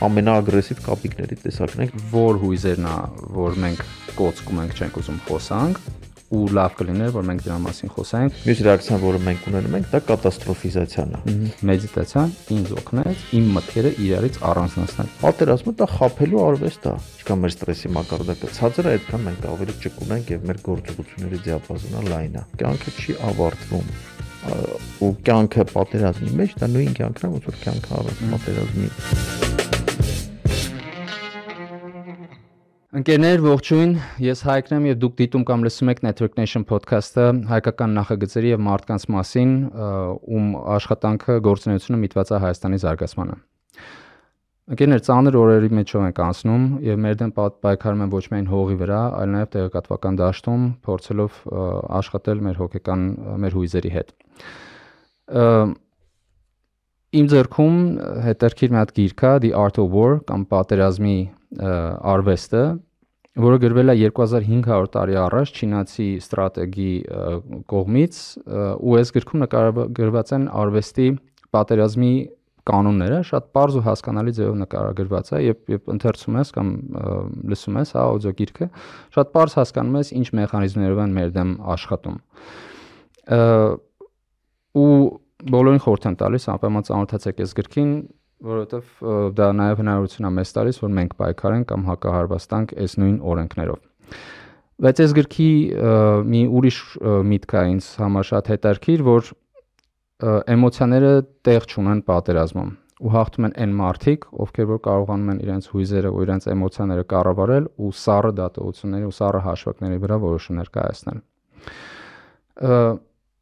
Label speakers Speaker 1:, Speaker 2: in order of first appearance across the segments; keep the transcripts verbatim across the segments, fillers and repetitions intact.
Speaker 1: ամենաագրեսիվ կապիկների տեսակն ենք,
Speaker 2: որ հույզերն է, որ մենք կոծկում ենք, չենք ուզում խոսանք, ու լավ կլիներ, որ մենք դրա մասին խոսենք։
Speaker 1: Մյուս ռեակցիան, որը մենք ունենում ենք, դա կատաստրոֆիզացիան է։
Speaker 2: Մեդիտացիան ինձ օգնեց իմ մտքերը իրարից առանձնացնել։
Speaker 1: Պատերազմը դա խաբելու արվեստ է։ Ինչքան մեր ստրեսի մակարդակը ցածր է, այդքան մենք ավելի ճկունենք եւ մեր գործողությունների դիապազոնը լայն է։ Կյանքը չի ավարտվում։ Ու կյանքը պատերազմի մեջ դա նույն կյանքն է, ոնց որ կյանքը առանց պատերազմի։
Speaker 2: Ընկերներ, ողջույն, ես Հայկն եմ եւ դուք դիտում կամ լսում եք Network Nation podcast-ը հայկական նախագծերի եւ մարդկանց մասին, ում աշխատանքը գործունեությունը միտված է Հայաստանի զարգացմանը։ Ընկերներ, ծանր օրերի մեջով ենք անցնում եւ մեր դեմ պայքարում են ոչ միայն հողի վրա, այլ նաեւ տեղեկատվական դաշտում, փորձելով աշխատել մեր հոգեկան մեր հույզերի հետ։ Իմ ձեռքում հետաքրքիր մի հատ գիրք է The Art of War կամ պատերազմի արվեստը, որը գրվել է երկու հազար հինգ հարյուր տարի առաջ չինացի ստրատեգի կողմից, ու այս գրքում նկարագրված են արվեստի պատերազմի կանոնները, շատ պարզ ու հասկանալի ձևով նկարագրված է, եւ երբ ընթերցում ես կամ լսում ես, հա, աուդիո գիրքը, շատ պարզ հասկանում ես ինչ մեխանիզմներով են մեր դեմ աշխատում։ Ու բոլորին խորհուրդ եմ տալիս անպայման ծանոթացեք այս գրքին, որովհետև դա նաև հնարավորություն է մեզ տալիս, որ մենք պայքարենք կամ հակահարվածտանք այս նույն օրենքներով։ Բայց այս գրքի մի ուրիշ միտք է ինձ համար շատ հետաքրքիր, որ էմոցիաները տեղ չունեն պատերազմում ու հաղթում են այն մարդիկ, ովքեր որ կարողանում են իրենց հույզերը ու իրենց էմոցիաները կառավարել ու սառը դատողությունների ու սառը հաշվարկների վրա որոշումներ կայացնել։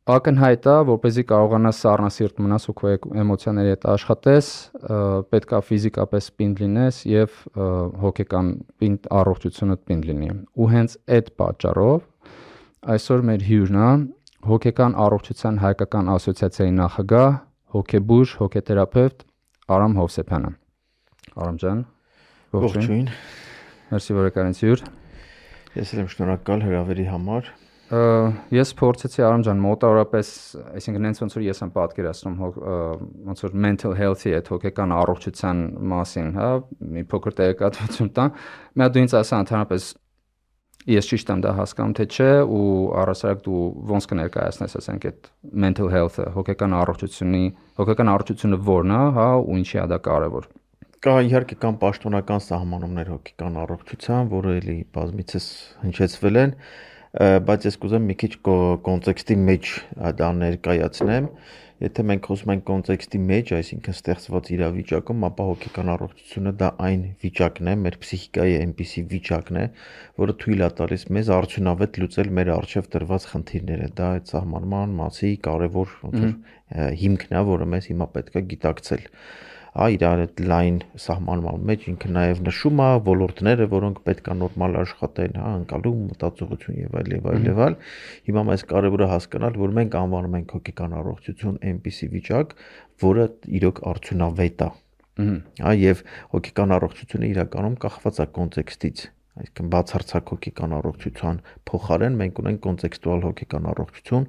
Speaker 2: Ակնհայտ է, որպեսզի կարողանաս սառնասիրտ մնաս ու քո էմոցիաների հետ աշխատես, պետք է ֆիզիկապես պինդ լինես եւ հոգեկան պինդ առողջությունդ պինդ լինի։ Ու հենց այդ պատճառով այսօր մեր հյուրն է հոգեկան առողջության հայկական ասոցիացիայի նախագահ, հոգեբույժ, հոգեթերապևտ Արամ Հովսեփյանը։ Արամ ջան,
Speaker 1: ողջույն։
Speaker 2: Մերսի որ եկար ինձ հյուր։
Speaker 1: Ես եմ շնորհակալ հրավերի համար։
Speaker 2: Ես փորձեցի Արամ ջան մոտավորապես, այսինքն հենց ոնց որ ես եմ պատկերացնում ոնց որ mental health-ի այդ հոգեկան առողջության մասին, հա, մի փոքր տեղեկատվություն տա։ Մի հատ դու ինձ ասա ընդհանրապես ես ճիշտ եմ դա հասկանում թե չէ ու առասարակ դու ոնց կներկայացնես ասենք այդ mental health-ը, հոգեկան առողջությունի, հոգեկան առողջությունը ո՞րն է, հա, ու ինչի է դա կարևոր։
Speaker 1: Կա իհարկե կան պաշտոնական սահմանումներ հոգեկան առողջության, որը էլի բազմիցս հնչեցվել են, բայց ես կուզեմ մի քիչ կոնտեքստի մեջ դա ներկայացնեմ։ Եթե մենք խոսում ենք կոնտեքստի մեջ, այսինքն ստեղծված իրավիճակում, ապա հոգեկան առողջությունը դա այն վիճակն է, մեր ֆիզիկայի այնպիսի վիճակն է, որը թույլ է տալիս մեզ արդյունավետ լուծել մեր առջև դրված խնդիրները։ Դա այդ սահմանման մասի կարևոր ոնց որ հիմքն է, որը մեզ հիմա պետք է գիտակցել։ Իր այդ լայն սահմանման մեջ ինքը նաև նշում է ոլորտները, որոնք պետք է նորմալ աշխատեն, հա, ընկալում, մտածողություն եւ այլ եւ այլ եւ այլ։ Հիմա մեզ կարևոր է հասկանալ, որ մենք անվանում ենք հոգեկան առողջություն այնպիսի վիճակ, որը իրոք արդյունավետ է։ Հա, եւ հոգեկան առողջությունը իրականում կախված է կոնտեքստից։ Այսինքն բացարձակ հոգեկան առողջության փոխարեն մենք ունենք կոնտեքստուալ հոգեկան առողջություն,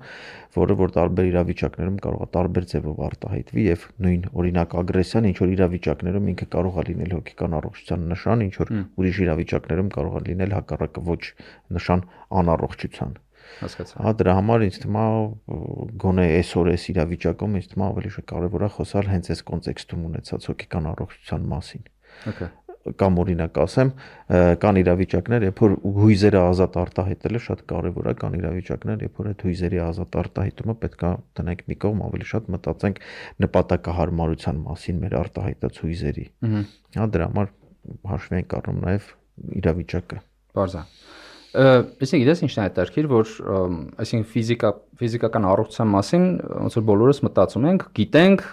Speaker 1: որը որ տարբեր իրավիճակներում կարող է տարբեր ձևով արտահայտվի եւ նույն օրինակ ագրեսիան ինչ որ իրավիճակներում ինքը կարող է լինել հոգեկան առողջության նշան, ինչ որ ուրիշ իրավիճակներում կարող է լինել հակառակը ոչ նշան անառողջության։
Speaker 2: Հասկացա։
Speaker 1: Հա, դրա համար ինձ թվում է գոնե այսօր այս իրավիճակում ինձ թվում է ավելի կարևոր է խոսալ հենց այս կոնտեքստում ունեցած հոգեկան առողջության մասին։
Speaker 2: Okay.
Speaker 1: Կամ օրինակ ասեմ, կան իրավիճակներ, երբ որ հույզերը ազատ արտահայտելը շատ կարևոր է, կան իրավիճակներ, երբ որ այդ հույզերի ազատ արտահայտումը պետք է տնենք մի կողմ, ավելի շատ մտածենք նպատակահարմարության մասին մեր արտահայտած հույզերի։ Հա, դրա համար հաշվի ենք առնում նաև իրավիճակը։
Speaker 2: Բարձր։ Այսինքն գիտես ինչն է հետաքրքիր, որ այսինքն ֆիզիկա ֆիզիկական առողջության մասին ոնց որ բոլորս մտածում ենք, գիտենք,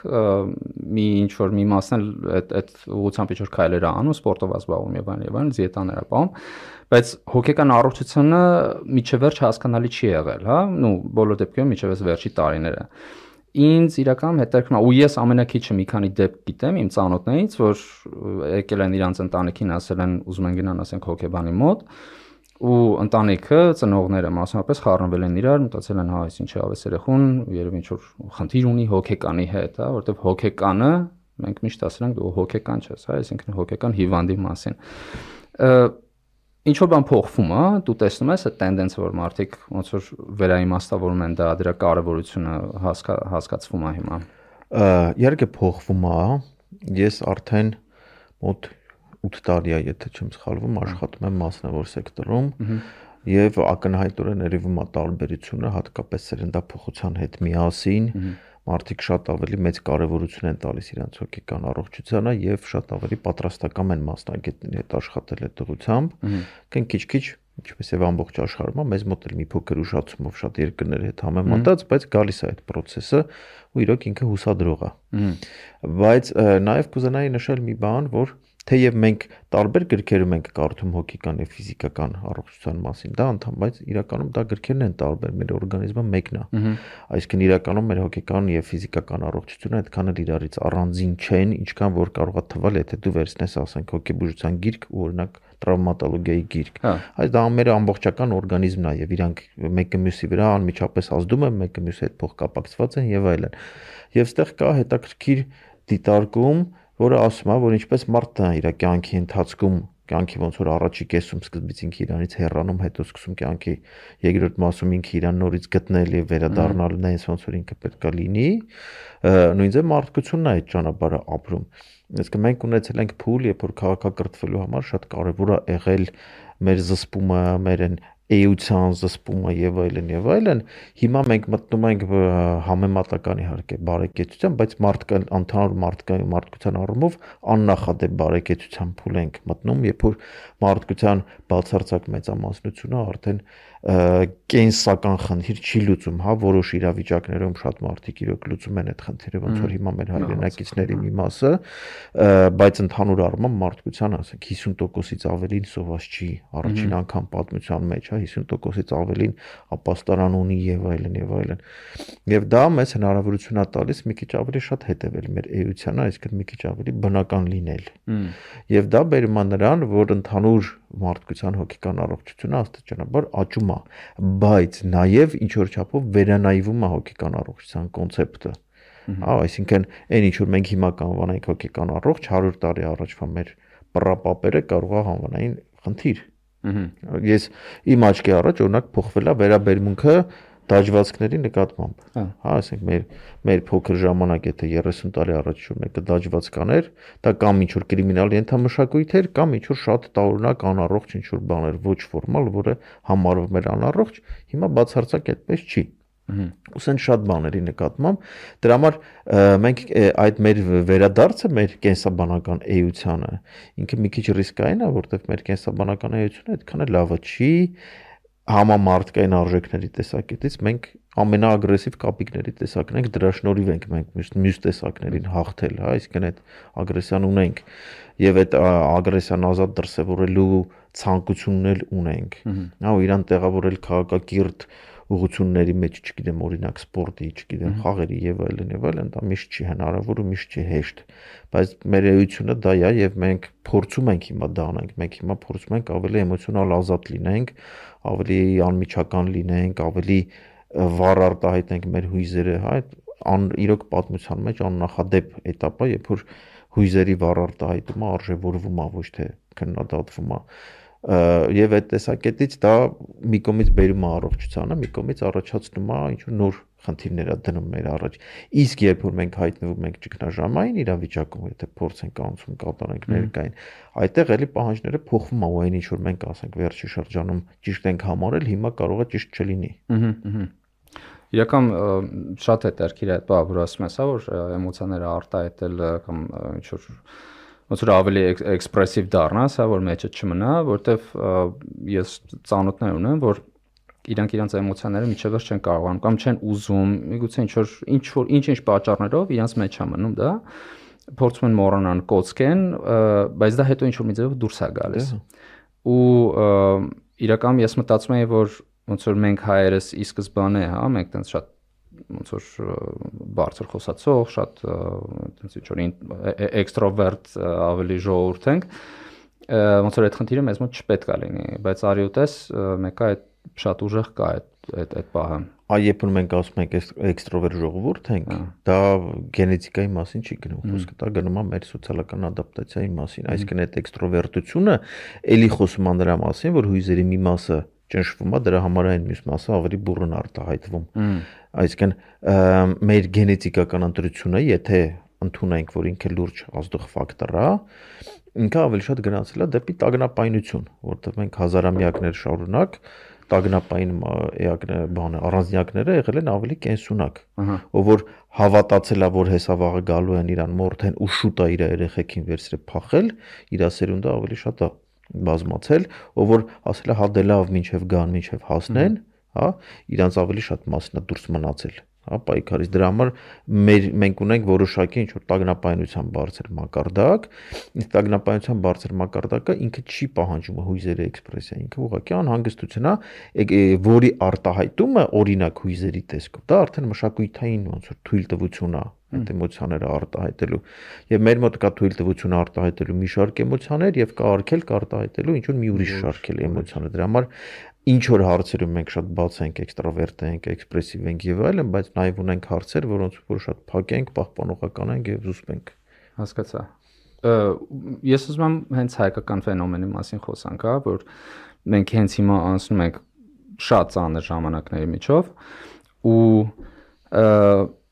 Speaker 2: մի ինչ որ մի մասն էլ այդ այդ ուղղությամբ ինչ որ քայլեր անում, սպորտով զբաղվում եւ այլն եւ այլն, դիետաներ ապահովում, բայց հոգեկան առողջությունը միջև վերջ հասկանալի չի եղել, հա, նու բոլոր դեպքերում միջև այս վերջի տարիները։ Ինձ իրական հետաքրքրում է, ու ես ամենակիչը մի քանի դեպք գիտեմ իմ ծանոթներից, որ եկել են իրանց ընտանիքին ասել են ուզում են գնան ասենք հոգեբանի մոտ ու ընտանիքը ծնողները մասնավորապես խառնվել են իրար, մտածել են հա այս ինչ է ավես երեխուն, երևի ինչ որ խնդիր ունի հոգեկանի հետ, հա, որովհետև հոգեկանը մենք միշտ ասել ենք դու հոգեկան չես, հա, այսինքն հոգեկան հիվանդի մասին։ Ինչ որ բան փոխվում է, դու տեսնում ես այդ տենդենսը, որ մարդիկ ոնց որ վերաիմաստավորում են դա, դրա կարևորությունը հասկացվում է հիմա։
Speaker 1: Իհարկե փոխվում է, ես արդեն մոտ ութ տարի է, եթե չեմ սխալվում, աշխատում եմ մասնավոր սեկտորում եւ ակնհայտորեն երևում է տարբերությունը, հատկապես սերնդափոխության հետ միասին մարդիկ շատ ավելի մեծ կարևորություն են տալիս իրենց հոգեկան առողջությանը եւ շատ ավելի պատրաստական են մասնագետների հետ աշխատել այդ ուղղությամբ, կեն քիչ-քիչ, ինչպես եւ ամբողջ աշխարհում, մեզ մոտ էլ մի փոքր ուշացումով շատ երկրների հետ համեմատած, բայց գալիս է այդ process-ը ու իրոք ինքը հուսադրող է։ Բայց նաեւ կուզենայի նշել մի բան, որ թեև մենք տարբեր գրքերում ենք կարդում հոգեկան եւ ֆիզիկական առողջության մասին, դա անդամ, բայց իրականում դա գրքերն են տարբեր, մեր օրգանիզմը մեկն է։ Այսինքն իրականում մեր հոգեկան եւ ֆիզիկական առողջությունը այդքան էլ իրարից առանձին չեն, ինչքան որ կարող է թվալ, եթե դու վերցնես, ասենք, հոգեբուժության գիրք ու օրինակ տրավմատոլոգիայի գիրք։ Այս դա մեր ամբողջական օրգանիզմն է եւ իրանք մեկը մյուսի վրա անմիջապես ազդում են, մեկը մյուսի հետ փոխկապակցված են եւ այլն։ Եվ այստեղ կա հետաքրքիր դիտարկում, որը ասում է, որ ինչպես մարդը իր կյանքի ընթացքում կյանքի ոնց որ առաջի կեսում սկզբից ինքը իրանից հեռանում, հետո սկսում կյանքի երկրորդ մասում ինքը իրան նորից գտնել եւ վերադառնալ նենց ոնց որ ինքը պետքա լինի, նույնիսկ մարդկությունն է այդ ճանապարհը ապրում։ Այսինքն մենք ունեցել ենք փուլ, երբ որ քաղաքակրթվելու համար շատ կարեւոր է եղել մեր զսպումը, մեր էության զսպումը եւ այլն եւ այլն, հիմա մենք մտնում ենք համեմատական իհարկե բարեկեցության, բայց մարդկան ընդհանուր մարդկային մարդկության առումով աննախադեպ բարեկեցության փուլ ենք մտնում, երբ որ մարդկության բացարձակ մեծամասնությունը արդեն կենսական խնդիր չի լուծում, հա, որոշ իրավիճակներում շատ մարդիկ իրոք լուծում են այդ խնդիրը, ոնց որ հիմա մեր հայրենակիցների մի մասը, բայց ընդհանուր առմամբ մարդկության, ասենք, հիսուն տոկոսից ավելին սոված չի, առաջին անգամ պատմության մեջ, հա, հիսուն տոկոսից ավելին ապաստարան ունի եւ այլն եւ այլն։ Եվ դա մեզ հնարավորություն է տալիս մի քիչ ավելի շատ հետևել մեր էությանը, այսինքն մի քիչ ավելի բնական լինել։ Եվ դա բերում է նրան, որ ընդհանուր մարդկության հոգեկան առողջությունը աստիճանաբար աճում է, բայց նաև ինչ որ չափով վերանայվում է հոգեկան առողջության կոնցեպտը։ Հա, այսինքն այն ինչ որ մենք հիմա կանվանենք հոգեկան առողջ, հարյուր տարի առաջվա մեր պրապապերը կարող է անվանային խնդիր։ Ես իմ աչքի առաջ օրինակ փոխվել է վերաբերմունքը դաջվածքների նկատմամբ։ Հա, ասենք մեր մեր փոքր ժամանակ, եթե երեսուն տարի առաջ որ մեկը դաջված կաներ, դա կամ ինչ որ կրիմինալ ենթամշակույթ էր, կամ ինչ որ շատ տարօրինակ անառողջ ինչ որ բան էր, ոչ ֆորմալ, որը համարվում էր անառողջ, հիմա բացարձակ այդպես չի։ Ուսեն շատ բաների նկատմամբ, դրա համար մենք այդ մեր վերադարձը մեր կենսաբանական էությանը, ինքը մի քիչ ռիսկային է, որովհետև մեր կենսաբանական էությունը այդքան էլ լավը չի, համամարտկային արժեքների տեսակետից մենք ամենաագրեսիվ կապիկների տեսակն ենք, դրա շնորհիվ ենք մենք մյուս տեսակներին հաղթել, հա, այսինքն այդ ագրեսիան ունենք եւ այդ ագրեսիան ազատ դրսեւորելու ցանկությունն էլ ունենք։ Հա, ու իրան տեղավորել քաղաքակիրթ ուղղությունների մեջ, չգիտեմ, օրինակ սպորտի, չգիտեմ, խաղերի եւ այլն եւ այլն, դա միշտ չի հնարավոր ու միշտ չի հեշտ, բայց մեր էությունը դա է եւ մենք փորձում ենք հիմա դա անենք, մենք հիմա փորձում ենք ավելի էմոցիոնալ ազատ լինենք, ավելի անմիջական լինենք, ավելի վառ արտահայտենք մեր հույզերը, հա, ան իրոք պատմության մեջ աննախադեպ էտապ է, երբ որ հույզերի վառ արտահայտումը արժևորվում է, ոչ թե քննադատվում է։ Եվ այդ տեսակետից դա մի կողմից բերում է առողջությանը, մի կողմից առաջացնում է ինչ որ նոր խնդիրներ է դնում մեր առաջ։ Իսկ երբ որ մենք հայտնվում ենք ճգնաժամային իրավիճակում, եթե փորձ ենք անցում կատարենք ներկային, այդտեղ էլի պահանջները փոխվում է, ու այն ինչ որ մենք ասենք վերջի շրջանում ճիշտ ենք համարել, հիմա կարող է ճիշտ չլինի։
Speaker 2: Իրական շատ հետաքրքիր է այդ բանը, որ ասում ես, հա, որ էմոցիաները արտահայտել կամ ինչ որ ոնց որ ավելի էքսպրեսիվ դառնաս, հա, որ մեջը չմնա, որտեվ ես ծանոթներ ունեմ, որ իրանք իրանց էմոցիաները միջևերջ չեն կարողանում կամ չեն ուզում, միգուցե ինչ որ ինչ որ ինչ-ինչ պատճառներով իրանց մեջ է մնում դա, փորձում են մոռանան, կոծկեն, բայց դա հետո ինչ որ մի ձևով դուրս է գալիս։ Ու իրականում ես մտածում եմ, որ ոնց որ մենք հայերս ի սկզբանե, հա, մենք տենց շատ ոնց որ բարձր խոսացող, շատ տենց ինչ որ էքստրովերտ ավելի ժողովուրդ ենք, ոնց որ այդ խնդիրը մեզ մոտ չպետք է լինի, բայց արի ուտես մեկը այդ շատ ուժեղ կա այդ այդ այդ պահը։
Speaker 1: Այ երբ որ մենք ասում ենք էքստրովերտ ժողովուրդ ենք, դա գենետիկայի մասին չի գնում, խոսքը դա գնում է մեր սոցիալական ադապտացիայի մասին, այսինքն այդ էքստրովերտությունը էլի խոսում է նրա մասին, որ հույզերի մի մասը ճնշվում է, դրա համար այն մյուս մասը ավելի բուռն արտահայտվում։ Այսինքն մեր գենետիկական ընտրությունը, եթե ընդունենք, որ ինքը լուրջ ազդող ֆակտոր է, ինքը ավելի շատ գնացել է դեպի տագնապայնություն, որտեղ մենք հազարամյակներ շարունակ տագնապային էակները, բանը, առանձնյակները եղել են ավելի կենսունակ, ով որ հավատացել է, որ հեսա վաղը գալու են իրան մորթեն ու շուտ է իր երեխեքին վերցրել փախել, իր սերունդը ավելի շատ է բազմացել, ով որ ասել է հա դե լավ, մինչև գան, մինչև հասնեն, հա, իրանց ավելի շատ մասն է դուրս մնացել, հա, պայքարից։ Դրա համար մեր մենք ունենք որոշակի ինչ որ տագնապայնության բարձր մակարդակ, իսկ տագնապայնության բարձր մակարդակը ինքը չի պահանջում հույզերի էքսպրեսիա, ինքը ուղղակի անհանգստություն է, որի արտահայտումը օրինակ հույզերի տեսքով, դա արդեն մշակութային ոնց որ թույլտվություն է այդ էմոցիաները արտահայտելու, եւ մեր մոտ կա թույլտվությունը արտահայտելու մի շարք էմոցիաներ եւ կա արգելք արտահայտելու ինչ որ մի ուրիշ շարք էմոցիաներ։ Դրա համար ինչ որ հարցերում մենք շատ բաց ենք, էքստրավերտ ենք, էքսպրեսիվ ենք եւ այլն, բայց նաեւ ունենք հարցեր, որոնց որ շատ փակ ենք, պահպանողական ենք եւ զուսպ ենք։
Speaker 2: Հասկացա։ Ես ուզում եմ հենց հայկական ֆենոմենի մասին խոսանք, հա, որ մենք հենց հիմա անցնում ենք շատ ծանր ժամանակների միջով ու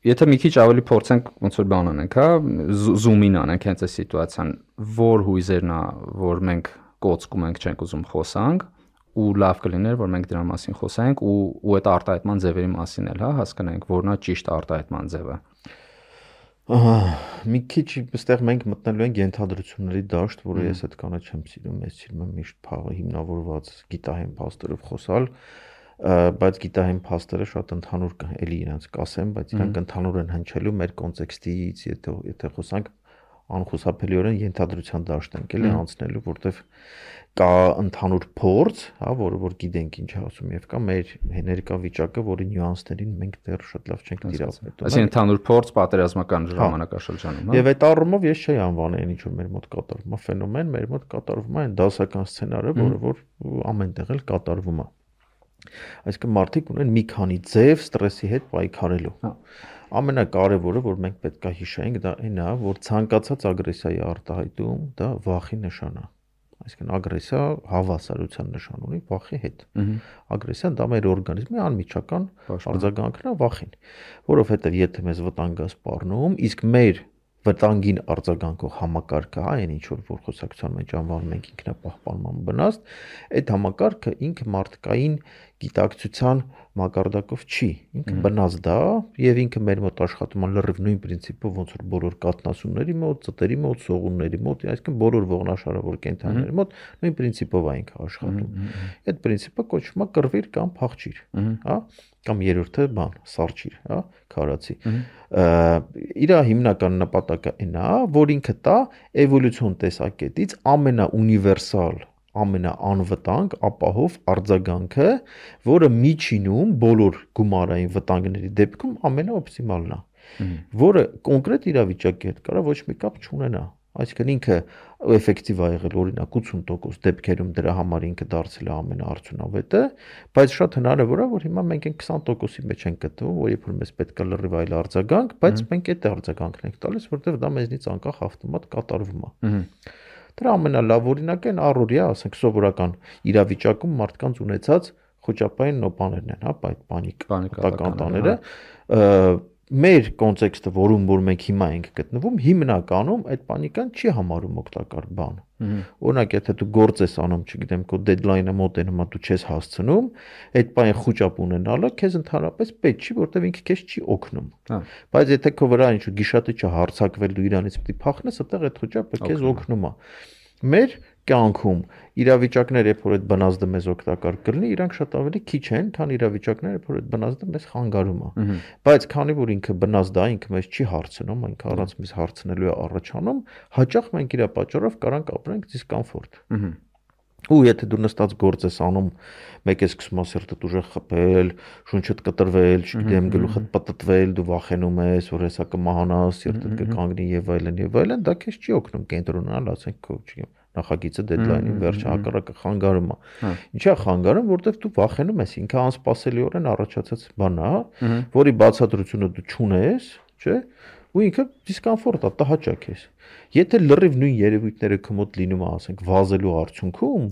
Speaker 2: եթե մի քիչ ավելի փորձենք ոնց որ բան անենք, հա, զումին անենք հենց այս սիտուացիան, որ հույզերն է, որ մենք կոծկում ենք, չենք ուզում խոսանք, ու լավ կլիներ, որ մենք դրա մասին խոսենք ու ու այդ արտահայտման ձևերի մասին էլ, հա, հասկանանք, որն է ճիշտ արտահայտման ձևը։
Speaker 1: Ահա, մի քիչ այստեղ մենք մտնելու ենք ենթադրությունների դաշտ, որը ես այդքանը չեմ սիրում, ես սիրում եմ միշտ փաղը հիմնավորված գիտահեն փաստերով խոսալ, բայց գիտահեն փաստերը շատ ընդհանուր կան, էլի իրենց կասեմ, բայց իրանք ընդհանուր են հնչելու մեր կոնտեքստից, եթե եթե խոսանք անխուսափելիորեն ենթադրության դաշտ ենք էլի անցնելու, որտեվ կա ընդհանուր փորձ, հա, որը որ գիտենք ինչ ասում եւ կա մեր ներկա վիճակը, որի նյուանսներին մենք դեռ շատ լավ չենք տիրապետում։
Speaker 2: Այսինքն ընդհանուր փորձ պատերազմական ժամանակաշրջանում, հա։
Speaker 1: Եվ այդ առումով ես չէի անվանել ինչ որ մեր մոտ կատարվում է ֆենոմեն, մեր մոտ կատարվում է այն դասական սցենարը, որը որ ամենտեղ էլ կատարվում է։ Այսինքն մարդիկ ունեն մի քանի ձև ստրեսի հետ պայքարելու։ Ամենակարևորը, որ մենք պետք է հիշենք, դա այն է, որ ցանկացած ագրեսիայի արտահայտում դա վախի նշան է։ Այսինքն ագրեսիա հավասարության նշան ունի վախի հետ։ Ագրեսիան դա մեր օրգանիզմի անմիջական արձագանքն է վախին, որովհետև եթե մեզ վտանգ է սպառնում, իսկ մեր վտանգին արձագանքող համակարգը, հա, այն ինչ որ խոսակցության մեջ անվանում ենք ինքնապահպանման վնաստ, այդ համակարգը ինքը մարդկային գիտակցության մակարդակով չի, ինքը բնազդ է եւ ինքը մեր մոտ աշխատում է լրիվ նույն պրինցիպով, ոնց որ բոլոր կաթնասունների մոտ, ծտերի մոտ, սողունների մոտ, այսինքն բոլոր ողնաշարավոր կենդանիների մոտ նույն պրինցիպով է ինքը աշխատում։ Այդ պրինցիպը կոչվում է կռվիր կամ փախչիր, հա, կամ երրորդը բան, սարճիր, հա, քարացի։ Իր հիմնական նպատակը այն է, որ ինքը տա էվոլյուցիոն տեսակետից ամենաունիվերսալ, ամենաանվտանգ ապահով արձագանքը, որը միջինում բոլոր գումարային վտանգների դեպքում ամենաօպտիմալն է, որը կոնկրետ իրավիճակի հետ կարող ոչ մի կապ չունենա։ Այսինքն ինքը էֆեկտիվ է եղել օրինակ ութսուն տոկոս դեպքերում դրա համար ինքը դարձել է ամենաարդյունավետը, բայց շատ հնարավոր է, որ հիմա մենք այն քսան տոկոսի մեջ ենք գտնվում, որ երբ որ մեզ պետք է լրիվ այլ արձագանք, բայց մենք այդ արձագանքն ենք տալիս, որտեղ դա մեզնից անկախ ավտոմատ կատարվում է։ Դրա ամենալավ օրինակը այն առօրյա, ասենք սովորական իրավիճակում մարդկանց ունեցած խոճապային նոպաներն են, հա, այդ պանիկ կանտաները, մեր կոնտեքստը, որում որ մենք հիմա ենք գտնվում, հիմնականում այդ պանիկան չի համարում օգտակար բան։ Օրինակ, եթե դու գործ ես անում, չգիտեմ, քո դեդլայնը մոտ է, հիմա դու չես հասցնում, այդ բանը խոճապ ունենալը քեզ ընդհանրապես պետք չի, որտեղ ինքը քեզ չի օգնում։ Բայց եթե քո վրա ինչ-որ գիշատիչը հարցակվել դու իրանից պետք է փախնես, այդտեղ այդ խոճապը քեզ օգնում է։ Մեր կյանքում իրավիճակները, երբ որ այդ բնազդը մեզ օգտակար կլինի, իրանք շատ ավելի քիչ են, քան իրավիճակները, երբ որ այդ բնազդը մեզ խանգարում է։ Բայց քանի որ ինքը բնազդ է, ինքը մեզ չի հարցնում, ինքը առանց մեզ հարցնելու է առաջանում, հաճախ մենք իր պատճառով կարանք ապրենք դիսկոմֆորտ։ Ու եթե դու նստած գործ ես անում, մեկ է սկսում է սիրտդ ուժեղ խփել, շունչդ կտրվել, չգիտեմ, գլուխդ պտտվել, դու վախենում ես, որ հեսա կմահանաս, սիրտդ կկանգնի եւ այլն եւ այլն, դա քեզ չի օգնում կենտրոնանալ, ասենք քո, չգիտեմ, նախագիծը deadline-ին վերջը հակառակը խանգարում է։ Ինչա խանգարում, որովհետև դու վախենում ես, ինքը անսպասելիորեն առաջացած բան է, որի բացատրությունը դու չունես, չէ՞։ Ու ինքը դիսկոմֆորտ է, տհաճակ ես։ Եթե լրիվ նույն երևույթները քո մոտ լինում է, ասենք, վազելու արդյունքում,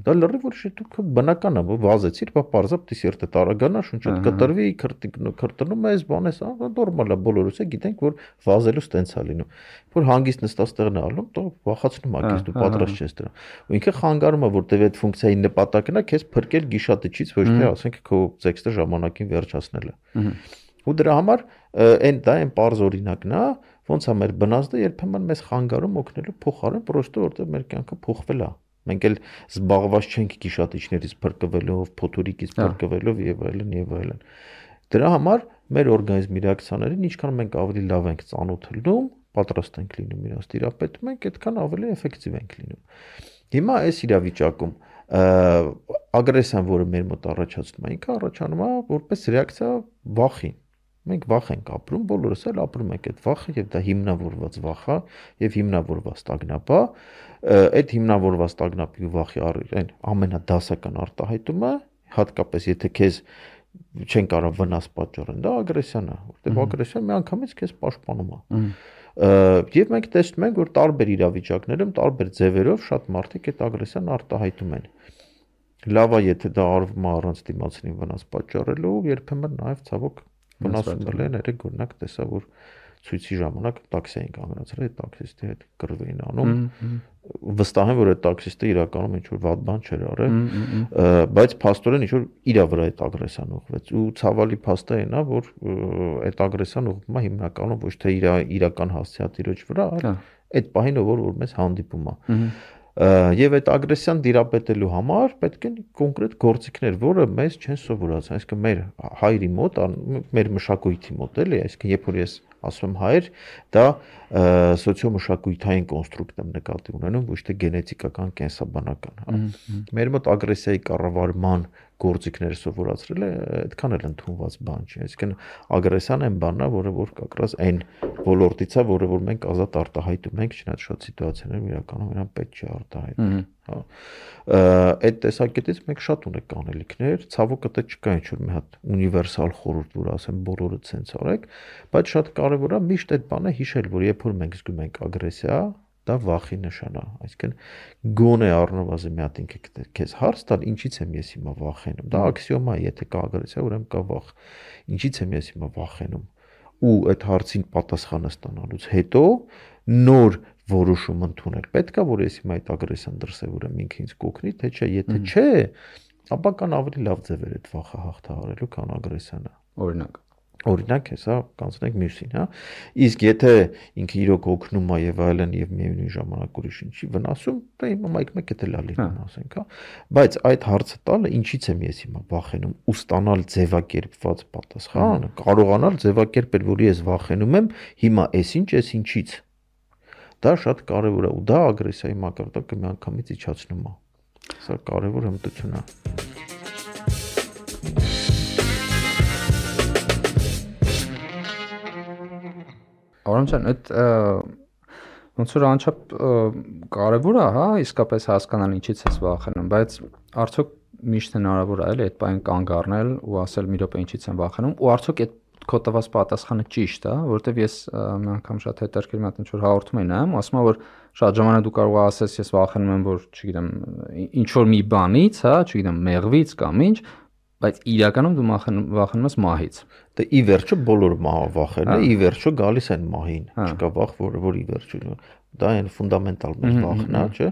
Speaker 1: դա լրիվ որ դու բնական է, որ վազեցիր, բա պարզապ դի սիրտը տարագանա, շունչդ կտրվի, քրտնում ես, բան ես, նորմալ է, բոլորս է գիտենք, որ վազելու ստենց է լինում։ Որ հանգիստ նստած տեղն է ալնում, դա վախացնում է քեզ, դու պատրաստ չես դրան։ Ու ինքը խանգարում է, որտեվ այդ ֆունկցիայի նպատակն է քեզ փրկել գիշատիչից, ոչ թե, ասենք, քո տեքստը ժամանակին վերջացնելը։ Ու դրա համար այն դա այն པարզ օրինակն է, ոնց է մեր բնազդը երբեմն մեզ խանգարում օգնելու փոխարեն, պրոստը որտեղ մեր կյանքը փոխվել է։ Մենք էլ զբաղված չենք գիշատիչներից փրկվելով, փոթորիկից փրկվելով եւ այլն եւ այլն։ Դրա համար մեր օրգանիզմի ռեակցիաներին ինչքան մենք ավելի լավ ենք ծանոթանում, պատրաստ ենք լինում իրաց տիրապետում ենք, այդքան ավելի էֆեկտիվ ենք լինում։ Հիմա այս իրավիճակում ագրեսիան, որը մեր մոտ առաջացնում է, ինքը առաջանում է որպես ռեակցիա վախին։ Մենք վախ ենք ապրում, բոլորս էլ ապրում ենք այդ վախը եւ դա հիմնավորված վախ է եւ հիմնավորված տագնապ է։ Այդ հիմնավորված տագնապի ու վախի այն ամենադասական արտահայտումը, հատկապես եթե քեզ չեն կարող վնաս պատճառել, դա ագրեսիան է, որտեղ ագրեսիան միանգամից քեզ պաշտպանում է։ Եվ մենք տեսնում ենք, որ տարբեր իրավիճակներում, տարբեր ձևերով շատ մարդիկ այդ ագրեսիան արտահայտում են։ Լավ է, եթե դա արվում է առանց դիմացինին վնաս պատճառելու, երբեմն նաև ցավոք վնասում են, երեք օրինակ տեսա, որ ցույցի ժամանակ տաքսի էին կանգնացրել, այդ տաքսիստի հետ կռվ էին անում։ Վստահ եմ, որ այդ տաքսիստը իրականում ինչ-որ վատ բան չէր արել, բայց փաստորեն ինչ-որ իրա վրա այդ ագրեսիան ուղղվեց։ Ու ցավալի փաստը այն է, որ այդ ագրեսիան ուղղվում է հիմնականում ոչ թե իր իրական հասցեատիրոջ վրա, այլ այդ պահին, որ որ մեզ հանդիպում է։ Եվ այդ ագրեսիան դիրապետելու համար պետք են կոնկրետ գործիքներ, որը մեզ չեն սովորացել, այսինքն մեր հայրի մոտ, մեր մշակույթի մոտ էլի, այսինքն երբ որ ես ասում եմ հայր, դա սոցիոմշակութային կոնստրուկտ եմ նկատի ունենում, ոչ թե գենետիկական կենսաբանական։ Մեր մոտ ագրեսիայի կառավարման գործիքները սովորացրել է, այդքան էլ ընդունված բան չի։ Այսինքն ագրեսիան այն բանն է, որը որ կակրած այն ոլորտից է, որը որ մենք ազատ արտահայտում ենք, չնայած շատ սիտուացիաներում իրականում նրան պետք չի արտահայտել։ Հա։ Այդ տեսակետից մենք շատ ունենք անելիքներ, ցավոք դա չկա ինչ-որ մի հատ ունիվերսալ խորհուրդ, որ ասեմ բոլորը ցենց արեք, բայց շատ կարևոր է միշտ այդ բանը հիշել, որ երբ որ մենք զգում ենք ագրեսիա, դա վախի նշան է, այսինքն գոնե առնվազն մի հատ ինքը քեզ հարց տալ, ինչից եմ ես հիմա վախենում։ Դա աքսիոմա է, եթե կա ագրեսիա, ուրեմն կա վախ։ Ինչից եմ ես հիմա վախենում։ Ու այդ հարցին պատասխանը ստանալուց հետո նոր որոշում ընդունել։ Պետք է որ ես հիմա այդ ագրեսիան դրսևորեմ, ինքը ինձ կօգնի, թե չէ, եթե չէ, ապա կան ավելի լավ ձևեր այդ վախը հաղթահարելու, քան ագրեսիանը։
Speaker 2: Օրինակ
Speaker 1: Օրինակ, հեսա կանցնենք մյուսին, հա։ Իսկ եթե ինքը իրոք օգնում է եւ այլն եւ միևնույն ժամանակ ուրիշ ինչի վնասում, դա հիմա մայք մեկ է լա լինում, ասենք, հա։ Բայց այդ հարցը տալը ինչից եմ ես հիմա վախենում ու ստանալ ձևակերպված պատասխան, կարողանալ ձևակերպել, որ ես վախենում եմ, հիմա էս ինչ, էս ինչից։ Դա շատ կարևոր է ու դա ագրեսիայի մակարդակը միանգամից իջացնում է։ Սա կարևոր հմտություն է։
Speaker 2: Արամջան, այդ ոնց որ անչափ կարևոր է, հա, իսկապես հասկանալ ինչից ես վախենում, բայց արդյոք միշտ հնարավոր է էլի այդ բան կանգ առնել ու ասել մի րոպե ինչից եմ վախենում, ու արդյոք այդ քո տված պատասխանը ճիշտ է, որովհետև ես մի անգամ շատ հետաքրքիր մի հատ ինչ որ հաղորդում եմ նայում, ասում եմ, որ շատ ժամանակ դու կարող ես ասես, ես վախենում եմ, որ չգիտեմ, ինչ որ մի բանից, հա, չգիտեմ, մեղվից կամ ինչ, բայց իրականում դու վախենում ես մահից։
Speaker 1: Դե ի վերջո բոլոր վախերն է, ի վերջո գալիս են մահին, չկա վախ, որը որ ի վերջո դա այն ֆունդամենտալ մեր վախն է, չէ՞։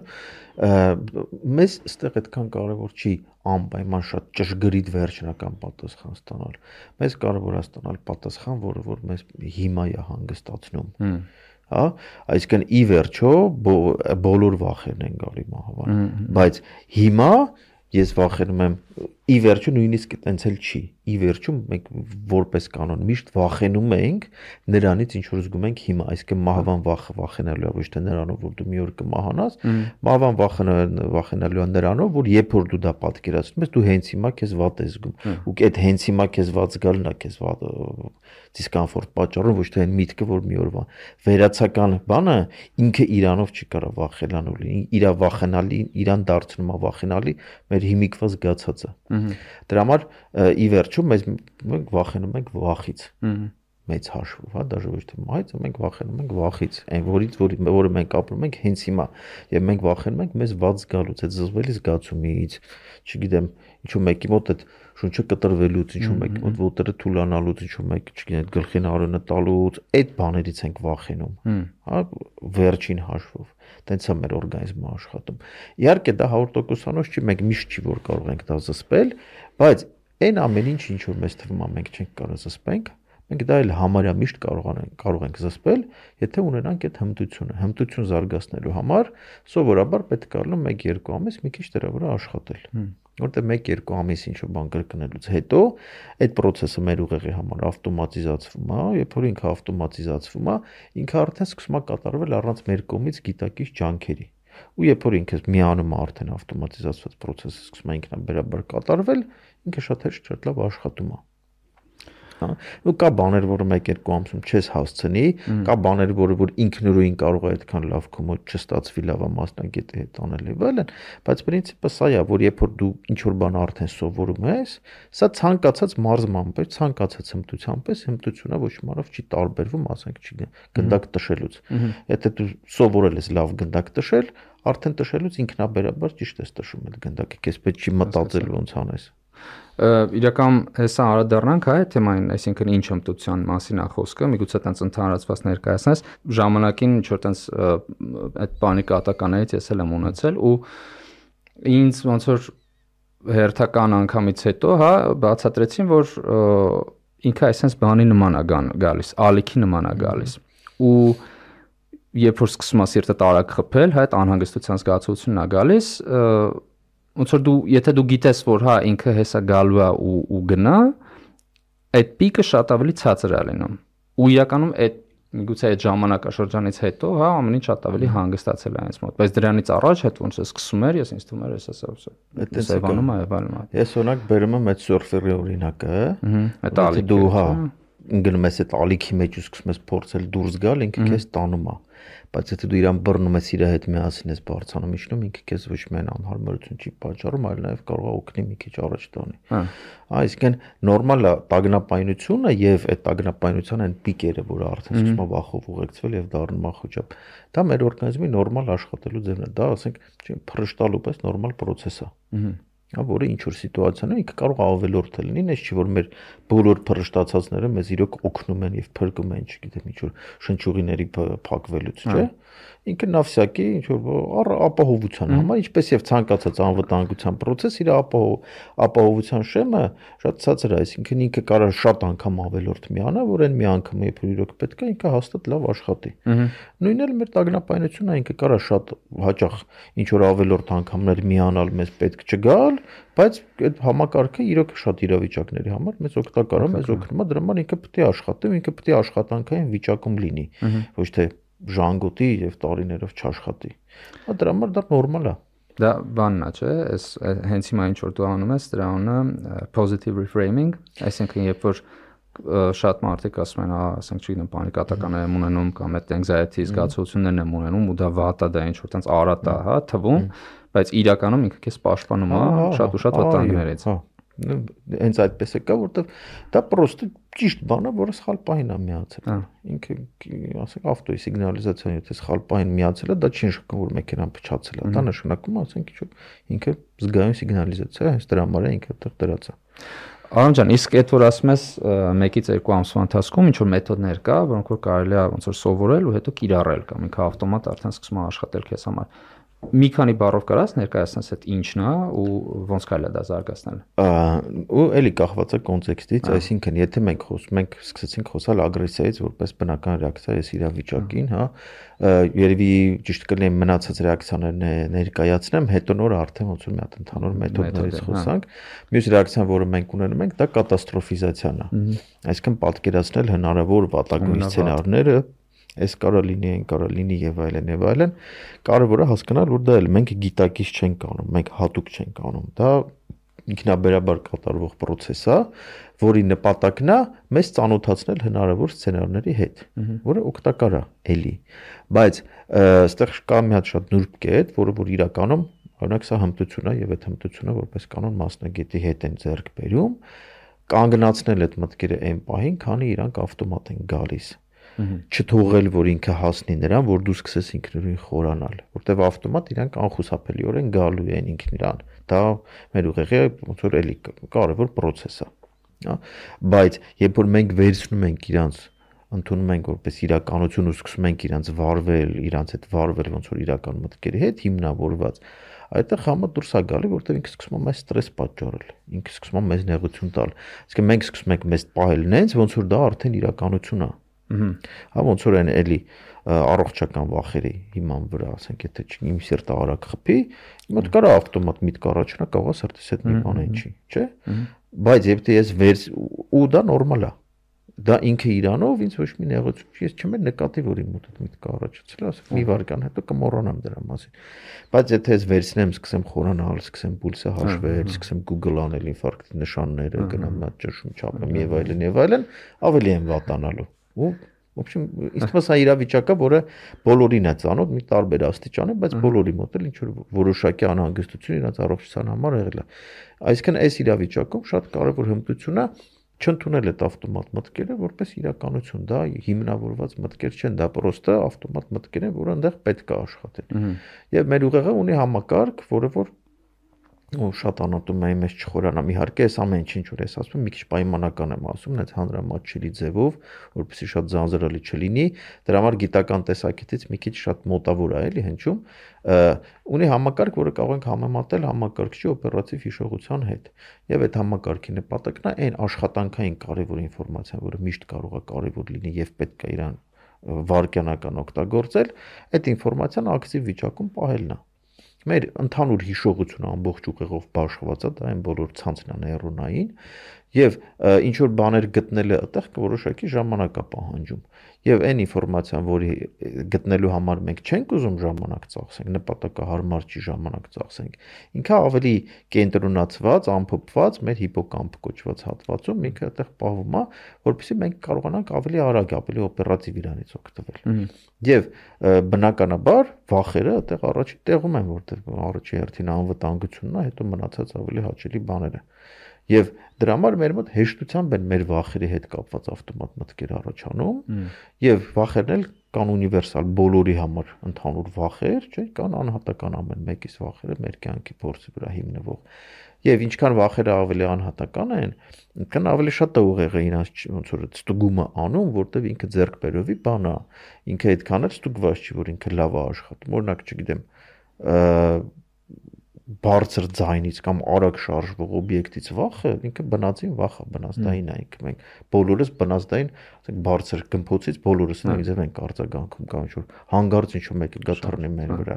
Speaker 1: Մեզ այստեղ այդքան կարևոր չի անպայման շատ ճշգրիտ վերջնական պատասխան ստանալ։ Մեզ կարևոր է ստանալ պատասխան, որը որ մեզ հիմա է հանգստացնում։ Հա, այսինքն ի վերջո բոլոր վախերն են գալի մահվան, բայց հիմա ես վախենում եմ ի վերջո նույնիսկ այտենց էլ չի ի վերջո մենք որպես կանոն միշտ վախենում ենք նրանից ինչ որ զգում ենք հիմա այսինքն մահվան վախը վախենալու է ոչ թե նրանով որ դու մի օր կմահանաս մահվան վախը վախենալու է նրանով որ երբ որ դու դա պատկերացնում ես դու հենց հիմա քեզ վատ ես զգում ու այդ հենց հիմա քեզ վատ զգալն է քեզ վատ դիսկոմֆորտ պատճառում ոչ թե այն միտքը որ մի օրվա վերացական բանը ինքը իրանով չի կարող վախենալու իրա վախենալի իրան դարձնում է վախենալի մեր հիմիկվա զգացածը դրա համար ի վերջո մեզ մենք վախենում ենք վախից մեծ հաշվով հա դաժե ոչ թե մահից մենք վախենում ենք վախից այն որից որը մենք ապրում ենք հենց հիմա եւ մենք վախենում ենք մեզ վատ զգալուց այդ զզվելի զգացումից չգիտեմ ինչու մեկի մոտ այդ շունչը կտրվելուց ինչու մեկի մոտ ոտերը թուլանալուց ինչու մեկ չգիտեմ գլխին արոնը տալուց այդ բաներից ենք վախենում հա վերջին հաշվով տենց է մեր օրգանիզմը աշխատում իհարկե դա հարյուր տոկոսանոց չի մենք միշտ չի որ կարող ենք դա զսպել բայց այն ամեն ինչ ինչ որ մեզ թվում է մենք չենք կարող զսպենք մենք դա էլ համարյա միշտ կարող ենք կարող ենք զսպել եթե ունենանք այդ հմտությունը հմտություն զարգացնելու համար սովորաբար պետք է լինի մեկ երկու ամիս մի քիչ դրա վրա աշխատել որտեղ մեկ երկու ամիս ինչ որ բան կրկնելուց հետո այդ process-ը մեր ուղեղի համար ավտոմատիզացվում է երբ որ ինքը ավտոմատիզացվում է ինքը արդեն սկսում է կատարվել առանց մեր կողմից գիտակից ջանքերի ու երբ որ ինքը միանում է արդեն ավտոմատիզացված process-ը սկսում է ինքնաբերաբար կատարվել ինքը շատ հեշտ շատ լավ աշխատում է ու կա բաներ, որը մեկ երկու ամսում չես հասցնի, կա բաներ, որը որ ինքնուրույն կարող է այդքան լավ քո մոտ չստացվի լավ մասնագետի հետ անել եւ այլն, բայց պրինցիպը սա է, որ երբ որ դու ինչ որ բան արդեն սովորում ես, սա ցանկացած մարզման պես, ցանկացած հմտության պես հմտությունը ոչ մարով չի տարբերվում, ասենք չի գնդակ տշելուց։ Եթե դու սովորել ես լավ գնդակ տշել, արդեն տշելուց ինքնաբերաբար ճիշտ ես տշում այդ գնդակը, քեզ պետք չի մտածել ոնց անես։
Speaker 2: Իրական հեսա անդրադառնանք այ թեմային, այսինքն ինչ հմտության մասին է խոսքը, միգուցե տենց ընդհանրացված ներկայացնես, ժամանակին ինչ որ տենց այդ բանի կատականերից ես էլ եմ ունեցել ու ինձ ոնց որ հերթական անգամից հետո, հա, բացատրեցին, որ ինքը այսպես բանի նման է գալիս, ալիքի նման է գալիս ու երբ որ սկսում է սիրտը տարակ խփել, հա, այդ անհանգստության զգացությունն է գալիս ոնց որ դու եթե դու գիտես որ հա ինքը հեսա գալու է ու ու գնա այդ պիկը շատ ավելի ցածր է լինում ու իրականում այդ միգուցե այդ ժամանակաշրջանից հետո հա ամեն ինչ շատ ավելի հանգստացել է այնց մոտ բայց դրանից առաջ հետ ոնց է սկսում էր ես ինձ թվում էր հեսա սա սեվանում է այլն
Speaker 1: ես օրինակ բերում եմ այդ սուրֆերի օրինակը
Speaker 2: այդ ալիքը
Speaker 1: դու հա ընկնում ես այդ ալիքի մեջ ու սկսում ես փորձել դուրս գալ ինքը քեզ տանում է բայց եթե դու իրան բռնում ես իր հետ միասին ես բարձանում իջնում ինքը քեզ ոչ միայն անհարմարություն չի պատճառում այլ նաև կարող է օգնի մի քիչ առաջ տանի այսինքն նորմալ է տագնապայնությունը եւ այդ տագնապայնության այն պիկերը որը արդեն սկսում է վախով ուղեկցվել եւ դառնում է խոճապ դա մեր օրգանիզմի նորմալ աշխատելու ձևն է դա ասենք փռշտալու պես նորմալ process է Հա որը ինչ որ սիտուացիան է ինքը կարող ավելորդ է լինի, այս չի որ մեր բոլոր փռշտացածները մեզ իրոք օգնում են եւ փրկում են, չգիտեմ, ինչ որ շնչուղիների փակվելուց, չէ՞։ Ինքը նավսյակի ինչ որ ապահովության համար, ինչպես եւ ցանկացած անվտանգության process, իր ապահովության շեմը շատ ցածր է, այսինքն ինքը կարող շատ անգամ ավելորդ միանա, որ այն մի անգամ երբ իրոք պետք է ինքը հաստատ լավ աշխատի։ Նույնն էլ մեր տագնապայնությունը ինքը կարող շատ հաճախ ինչ որ ավելորդ անգամներ միանալ մեզ պետք չգալ, բայց այդ համակարգը իրոք շատ իրավիճակների համար մեզ օգտակար է, մեզ օգնում է, դրա համար ինքը պետք է աշխատի, ինքը պետք է աշխատանքային վիճակում լինի, ոչ թե ժանգոտի եւ տարիներով չաշխատի։ Հա դրա համար դա նորմալ է։
Speaker 2: Դա բանն է, չէ՞, այս հենց հիմա ինչ որ դու անում ես, դրա անունը positive reframing, այսինքն երբ որ շատ մարդիկ ասում են, ասենք չգիտեմ, պանիկատական եմ ունենում կամ այդ anxiety զգացողություններն եմ ունենում ու դա վատ է, դա ինչ որ տենց արատ է, հա, թվում, բայց իրականում ինքը քեզ պաշտպանում է շատ ու շատ վտանգներից։
Speaker 1: Հենց այդպես է կա, որովհետև դա պրոստը ճիշտ բան է, որը սխալ պահին է միացել։ Ինքը, ասենք, ավտոյի սիգնալիզացիան, եթե սխալ պահին միացել է, դա չի նշանակում, որ մեքենան փչացել է։ Դա նշանակում է, ասենք, ինչ ինքը զգայուն սիգնալիզացիա է, հենց դրա համար է ինքը դրած է։
Speaker 2: Արամ ջան, իսկ այդ որ ասում ես մեկից երկու ամսվա ընթացքում ինչ որ մեթոդներ կա, որոնք որ կարելի է ոնց որ սովորել ու հետո կիրառել կամ ինքը ավտոմատ արդեն սկսում է աշխատել քեզ համար։ մի քանի բառով կարաս ներկայացնես այդ ինչն է ու ոնց կարելի է դա զարգացնել։
Speaker 1: Ու էլի կախված է կոնտեքստից, այսինքն եթե մենք խոսում ենք սկսեցինք խոսալ ագրեսիայից որպես բնական ռեակցիա այս իրավիճակին, հա, երևի ճիշտ կլինի մնացած ռեակցիաներն ներկայացնեմ, հետո նոր արդեն ոնց որ մի հատ ընդհանուր մեթոդներից խոսանք։ Մյուս ռեակցիան, որը մենք ունենում ենք, դա կատաստրոֆիզացիան է։ Այսինքն պատկերացնել հնարավոր վատագույն սցենարները, այս կարող լինի, այն կարող լինի եւ այլն եւ այլն, կարևորը հասկանալ, որ դա էլ մենք գիտակից չենք անում, մենք հատուկ չենք անում, դա ինքնաբերաբար կատարվող process է, որի նպատակն է մեզ ծանոթացնել հնարավոր սցենարների հետ, որը օգտակար է էլի, բայց այստեղ կա մի հատ շատ նուրբ կետ, որը որ իրականում, օրինակ սա հմտություն է եւ այդ հմտությունը որպես կանոն մասնագետի հետ են ձեռք բերում, կանգնացնել այդ մտքերը այն պահին, քանի իրանք ավտոմատ են գալիս չթողել, որ ինքը հասնի նրան, որ դու սկսես ինքնուրույն խորանալ, որտեվ ավտոմատ իրանք անխուսափելիորեն գալու են ինքն իրան։ Դա մեր ուղեղի ոնց որ էլի կարևոր process է, հա, բայց երբ որ մենք վերցնում ենք իրանց, ընդունում ենք որպես իրականություն ու սկսում ենք իրանց վարվել, իրանց հետ վարվել ոնց որ իրական մտքերի հետ հիմնավորված, այդտեղ համը դուրս է գալի, որտեվ ինքը սկսում է մեզ ստրես պատճառել, ինքը սկսում է մեզ նեղություն տալ։ Իսկ մենք սկսում ենք մեզ պահել նենց, ոնց որ դա արդեն իրականություն է։ Հա ոնց որ այն էլի առողջական վախերի հիման վրա, ասենք, եթե իմ սիրտը արագ խփի, մոտ կարա ավտոմատ միտք առաջանա, կարող է սրտիս հետ մի բան ինչի, չէ՞։ Բայց եթե ես վեր ու դա նորմալ է։ Դա ինքը իրանով ինձ ոչ մի նեղություն, ես չեմ նկատի, որ իմ մոտ այդ միտքը առաջացել է, ասենք մի վարքան հետո կմոռանամ դրա մասին։ Բայց եթե ես վերցնեմ, սկսեմ խորանալ, սկսեմ պուլսը հաշվել, սկսեմ Google անել ինֆարկտի նշանները, գնամ մի հատ ճշում չափեմ եւ այլն եւ այլն, ավելի եմ վատանալու։ Ու в общем, իսկ մասա իրավիճակը, որը բոլորին է ծանոթ, մի տարբեր աստիճանի, բայց բոլորի մոտ էլ ինչ որ որոշակի անհանգստություն իրաց առողջության համար եղել է։ Այսինքն այս իրավիճակում շատ կարևոր հմտություն է չընդունել այդ ավտոմատ մտքերը որպես իրականություն, դա հիմնավորված մտքեր չեն, դա պրոստը ավտոմատ մտքեր են, որը այնտեղ պետք է աշխատեն։ Եվ մեր ուղեղը ունի համակարգ, որը որ ու շատ անատում եմ ես չխորանամ, իհարկե այս ամեն ինչ որ ես ասում, մի քիչ պայմանական եմ ասում, այնց հանրամատչելի ձևով, որպեսզի շատ ձանձրալի չլինի, դրա համար գիտական տեսակետից մի քիչ շատ մոտավոր է, էլի հնչում, ունի համակարգ, որը կարող ենք համեմատել համակարգչի օպերատիվ հիշողության հետ։ Եվ այդ համակարգի նպատակն է այն աշխատանքային կարևոր ինֆորմացիան, որը միշտ կարող է կարևոր լինի եւ պետք է իրան վարկյանական օգտագործել, այդ ինֆորմացիան ակտիվ վիճակում պահելն է։ Մեր ընդհանուր հիշողությունը ամբողջ ուղեղով բաշխված է, դա այն բոլոր ցանցն է նեյրոնային, եւ ինչ որ բաներ գտնելը այդտեղ որոշակի ժամանակ է պահանջում։ Եվ այն ինֆորմացիան, որի գտնելու համար մենք չենք ուզում ժամանակ ծախսենք, նպատակահարմար չի ժամանակ ծախսենք, ինքը ավելի կենտրոնացված, ամփոփված մեր հիպոկամպ կոչված հատվածում ինքը այդտեղ պահվում է, որովհետեւ մենք կարողանանք ավելի արագ, ավելի օպերատիվ իրանից օգտվել։ Եվ բնականաբար վախերը այդտեղ առաջի տեղում են, որտեղ առաջի հերթին անվտանգությունն է, հետո մնացած ավելի հաճելի բաները։ Եվ դրա համար մեր մոտ հեշտությամբ են մեր վախերի հետ կապված ավտոմատ մտքեր առաջանում, եւ վախերն էլ կան ունիվերսալ բոլորի համար ընդհանուր վախեր, չէ՞, կան անհատական ամեն մեկիս վախերը մեր կյանքի փորձի վրա հիմնվող։ Եվ ինչքան վախերը ավելի անհատական են, այնքան ավելի շատ է ուղեղը իրancs ոնց որ ստուգումը անում, որտեվ ինքը ձեռք բերովի բան է, ինքը այդքան էլ ստուգված չի, որ ինքը լավ է աշխատում։ Օրինակ, չգիտեմ, բարձր ձայնից կամ արագ շարժվող օբյեկտից վախը ինքը բնածին վախ է, բնազդային է, ինքը մենք բոլորս բնազդային, ասենք բարձր գմփոցից բոլորս նույնիսկ ենք արձագանքում կամ ինչ որ հանգարց ինչ որ մեկը գա թռնի մեր վրա։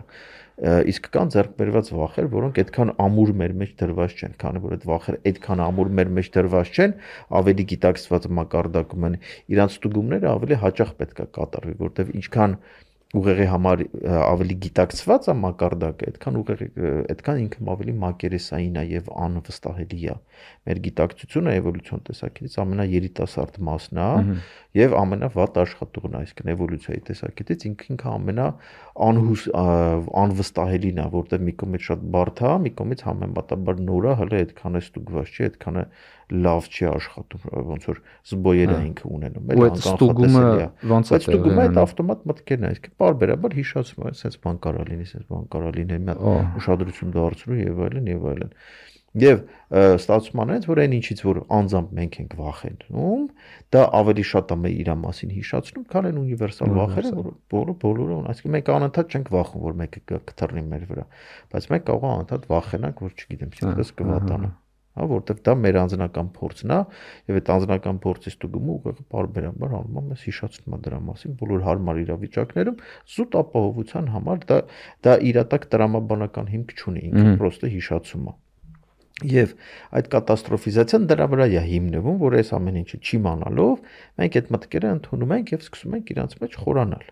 Speaker 1: Իսկ կան ձեռք բերված վախեր, որոնք այդքան ամուր մեր մեջ դրված չեն, քանի որ այդ վախերը այդքան ամուր մեր մեջ դրված չեն, ավելի գիտակցված մակարդակում են, իրանց ստուգումները ավելի հաճախ պետք է կատարվի, որտեղ ինչքան ուղեղի համար ավելի գիտակցված է մակարդակը, այդքան ուղեղի այդքան ինքը ավելի մակերեսային է եւ անվստահելի է։ Մեր գիտակցությունը էվոլյուցիոն տեսակետից ամենաերիտասարդ մասն է եւ ամենավատ աշխատողն է, այսինքն էվոլյուցիայի տեսակետից ինքը ինքը ամենա անհուս անվստահելին է, որտեղ մի կողմից շատ բարդ է, մի կողմից համեմատաբար նոր է, հələ այդքան է ստուգված չի, այդքան է լավ չի աշխատում, ոնց որ զբոյեր է ինքը ունենում, այլ
Speaker 2: անկանխատեսելի է։ Բայց
Speaker 1: ստուգումը այդ ավտոմատ մտքերն է, այսինքն բարբերաբար հիշացում է, sense բան կարա լինի, sense բան կարա լինի, մի հատ ուշադրություն դարձնու եւ այլն եւ այլն։ Եվ ստացվում անենց, որ այն ինչից որ անձամբ մենք ենք վախենում, դա ավելի շատ է մեր իր մասին հիշացնում, քան այն ունիվերսալ վախերը, որ բոլորը բոլորը ունեն, այսինքն մենք անընդհատ չենք վախում, որ մեկը կթռնի մեր վրա, բայց մենք կարող ենք անընդհատ վախենանք, որ չգիտեմ, ինչպես կվատանա, հա, որովհետև դա մեր անձնական փորձն է, եւ այդ անձնական փորձից դուգումը ուղղակի բարբերաբար անում է հիշացնում դրա մասին բոլոր հարմար իրավիճակներում զուտ ապահովության համար դա դա իրատակ տրամաբանական հիմք չունի, ինքը պրոստը հիշացում է։ Եվ այդ կատաստրոֆիզացիան դրա վրա է հիմնվում, որ այս ամեն ինչը չիմանալով մենք այդ մտքերը ընդունում ենք եւ սկսում ենք իրանց մեջ խորանալ։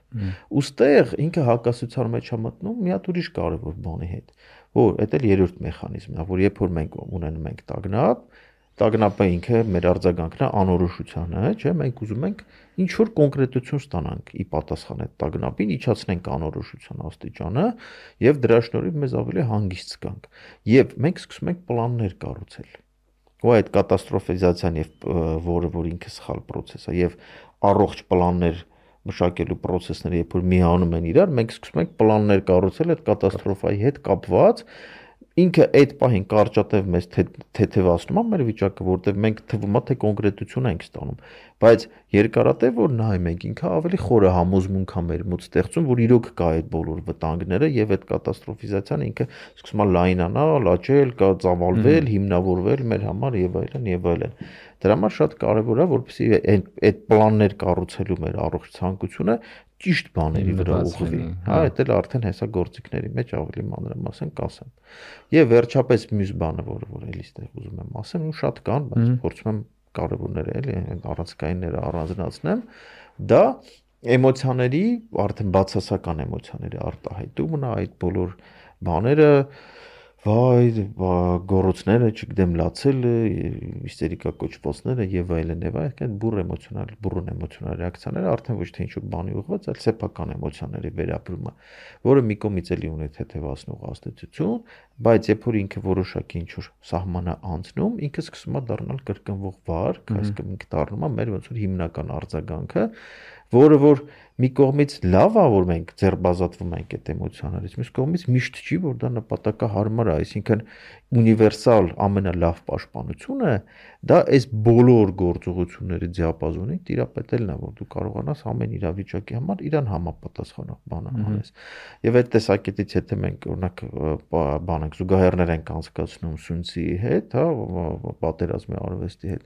Speaker 1: Ոստեղ ինքը հակասության մեջ է մտնում մի հատ ուրիշ կարևոր բանի հետ, որ դա էլ երրորդ մեխանիզմն է, որ երբ որ մենք ունենում ենք տագնապ, տագնապը ինքը մեր արձագանքն է անորոշությանը, չէ՞, մենք ուզում ենք ինչ որ կոնկրետություն ստանանք ի պատասխան այդ տագնապին, իջացնենք անորոշության աստիճանը եւ դրա շնորհիվ մեզ ավելի հանգիստ զգանք։ Եվ մենք սկսում ենք պլաններ կառուցել։ Ու այդ կատաստրոֆիզացիան եւ որը որ ինքը սխալ process է եւ առողջ պլաններ մշակելու process-ները, երբ որ միանում են իրար, մենք սկսում ենք պլաններ կառուցել այդ կատաստրոֆայի հետ կապված ինքը այդ պահին կարճատև մեզ թեթևացնում է մեր վիճակը, որտեղ մենք թվում է թե կոնկրետություն ենք ստանում, բայց երկարատև որ նայում ենք ինքը ավելի խորը համոզմունք է մեր մոտ ստեղծում, որ իրոք կա այդ բոլոր վտանգները եւ այդ կատաստրոֆիզացիան ինքը սկսում է լայնանալ, աճել, կա ծավալվել, հիմնավորվել մեր համար եւ այլն եւ այլն։ Դրա համար շատ կարեւոր է, որպեսզի այդ այդ պլաններ կառուցելու մեր առողջ ցանկությունը ճիշտ բաների վրա ուղղվի, հա, դա էլ արդեն հեսա գործիքների մեջ ավելի մանրամասն կասեմ։ Եվ վերջապես մյուս բանը, որը որ էլի ստեղ ուզում եմ ասեմ, ու շատ կան, բայց փորձում եմ կարևորները էլի առանցքայինները առանձնացնեմ, դա էմոցիաների, արդեն բացասական էմոցիաների արտահայտումն է, այդ բոլոր բաները վայ, գոռոցները, չգիտեմ, լացելը, հիստերիկա կոչվածները եւ այլն եւ այլն, բուռ էմոցիոնալ, բուռն էմոցիոնալ ռեակցիաները արդեն ոչ թե ինչ-որ բանի ուղղված, այլ սեփական էմոցիաների վերապրումը, որը մի կողմից էլի ունի թեթևացնող ազդեցություն, բայց երբ որ ինքը որոշակի ինչ-որ սահմանը անցնում, ինքը սկսում է դառնալ կրկնվող վարք, այսինքն ինքը դառնում է մեր ոնց որ հիմնական արձագանքը, որը որ մի կողմից լավ է, որ մենք ձերբազատվում ենք այդ էմոցիաներից, մյուս կողմից միշտ չի, որ դա նպատակահարմար է, այսինքն ունիվերսալ ամենալավ պաշտպանությունը դա այս բոլոր գործողությունների դիապազոնին տիրապետելն է, որ դու կարողանաս ամեն իրավիճակի համար իրան համապատասխանող բանը անես։ Եվ այդ տեսակետից եթե մենք օրինակ բանենք զուգահեռներ ենք անցկացնում Սունցի հետ, հա, պատերազմի արվեստի հետ,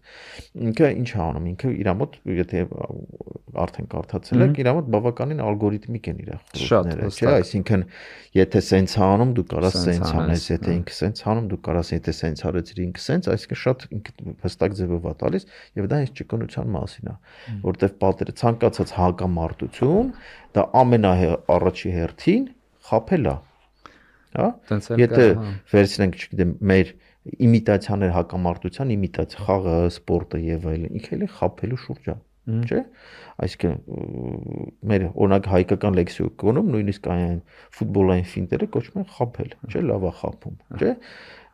Speaker 1: ինքը ինչ է անում, ինքը իր մոտ, եթե արդեն կարդացել եք, իր մոտ բավականին ալգորիթմիկ են իր խորհուրդները, չէ՞, այսինքն եթե սենց անում, դու կարաս սենց անես, եթե ինքը սենց անում, դու կարաս եթե սենց արեցիր ինքը սենց, այսինքն շատ ինքը հստակ ձևով է տալիս եւ դա հենց ճկունության մասին է, որտեվ պատերը ցանկացած հակամարտություն դա ամենաառաջի հերթին խաբել է, հա, եթե վերցնենք, չգիտեմ, մեր իմիտացիաներ հակամարտության, իմիտացիա, խաղը, սպորտը եւ այլն, ինքը էլի խաբելու շուրջ է, չէ՞, այսինքն մեր օրինակ հայկական լեքսիկոնում նույնիսկ այն ֆուտբոլային ֆինտերը կոչվում են խաբել, չէ՞, լավ է խաբում, չէ՞,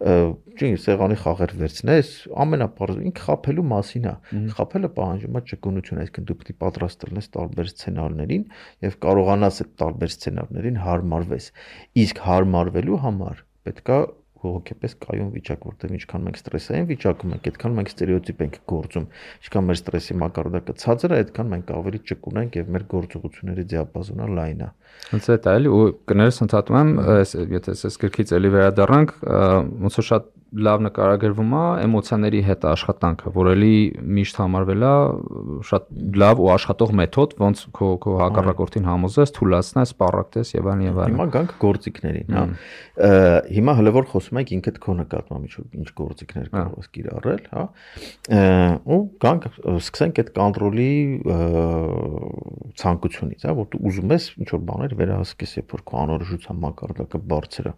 Speaker 1: չի սեղանի խաղեր վերցնես, ամենապարզ ինքը խաբելու մասին է, խաբելը պահանջում է ճկունություն, այսինքն դու պետք է պատրաստ լինես տարբեր սցենարներին եւ կարողանաս այդ տարբեր սցենարներին հարմարվես, իսկ հարմարվելու համար պետք է հոգեպես կայուն վիճակ, որտեղ ինչքան մենք ստրեսային վիճակում ենք, այդքան մենք ստերեոտիպ ենք գործում, ինչքան մեր ստրեսի մակարդակը ցածր է, այդքան մենք ավելի ճկուն ենք եւ մեր գործողությունների դիապազոնը լայն է։
Speaker 2: Ոնց է դա էլի, ու կներես ընդհատում եմ, եթե ես գրքից էլի վերադառնանք, ոնց որ շատ լավ նկարագրվում է էմոցիաների հետ աշխատանքը, որ էլի միշտ համարվել է շատ լավ ու աշխատող մեթոդ, ոնց քո քո հակառակորդին համոզես, թույլատնես, սպառակտես եւ այլն եւ այլն։
Speaker 1: Հիմա գանք գործիքներին, հա։ Հիմա հələ որ խոսում ենք ինքդ քո նկատմամբ ինչ գործիքներ կարող ես կիրառել, հա։ Ու գանք սկսենք այդ կոնտրոլի ցանկությունից, հա, որ դու ուզում ես ինչ որ բաներ վերահսկես, երբ որ քո անորոշության մակարդակը բարձր է։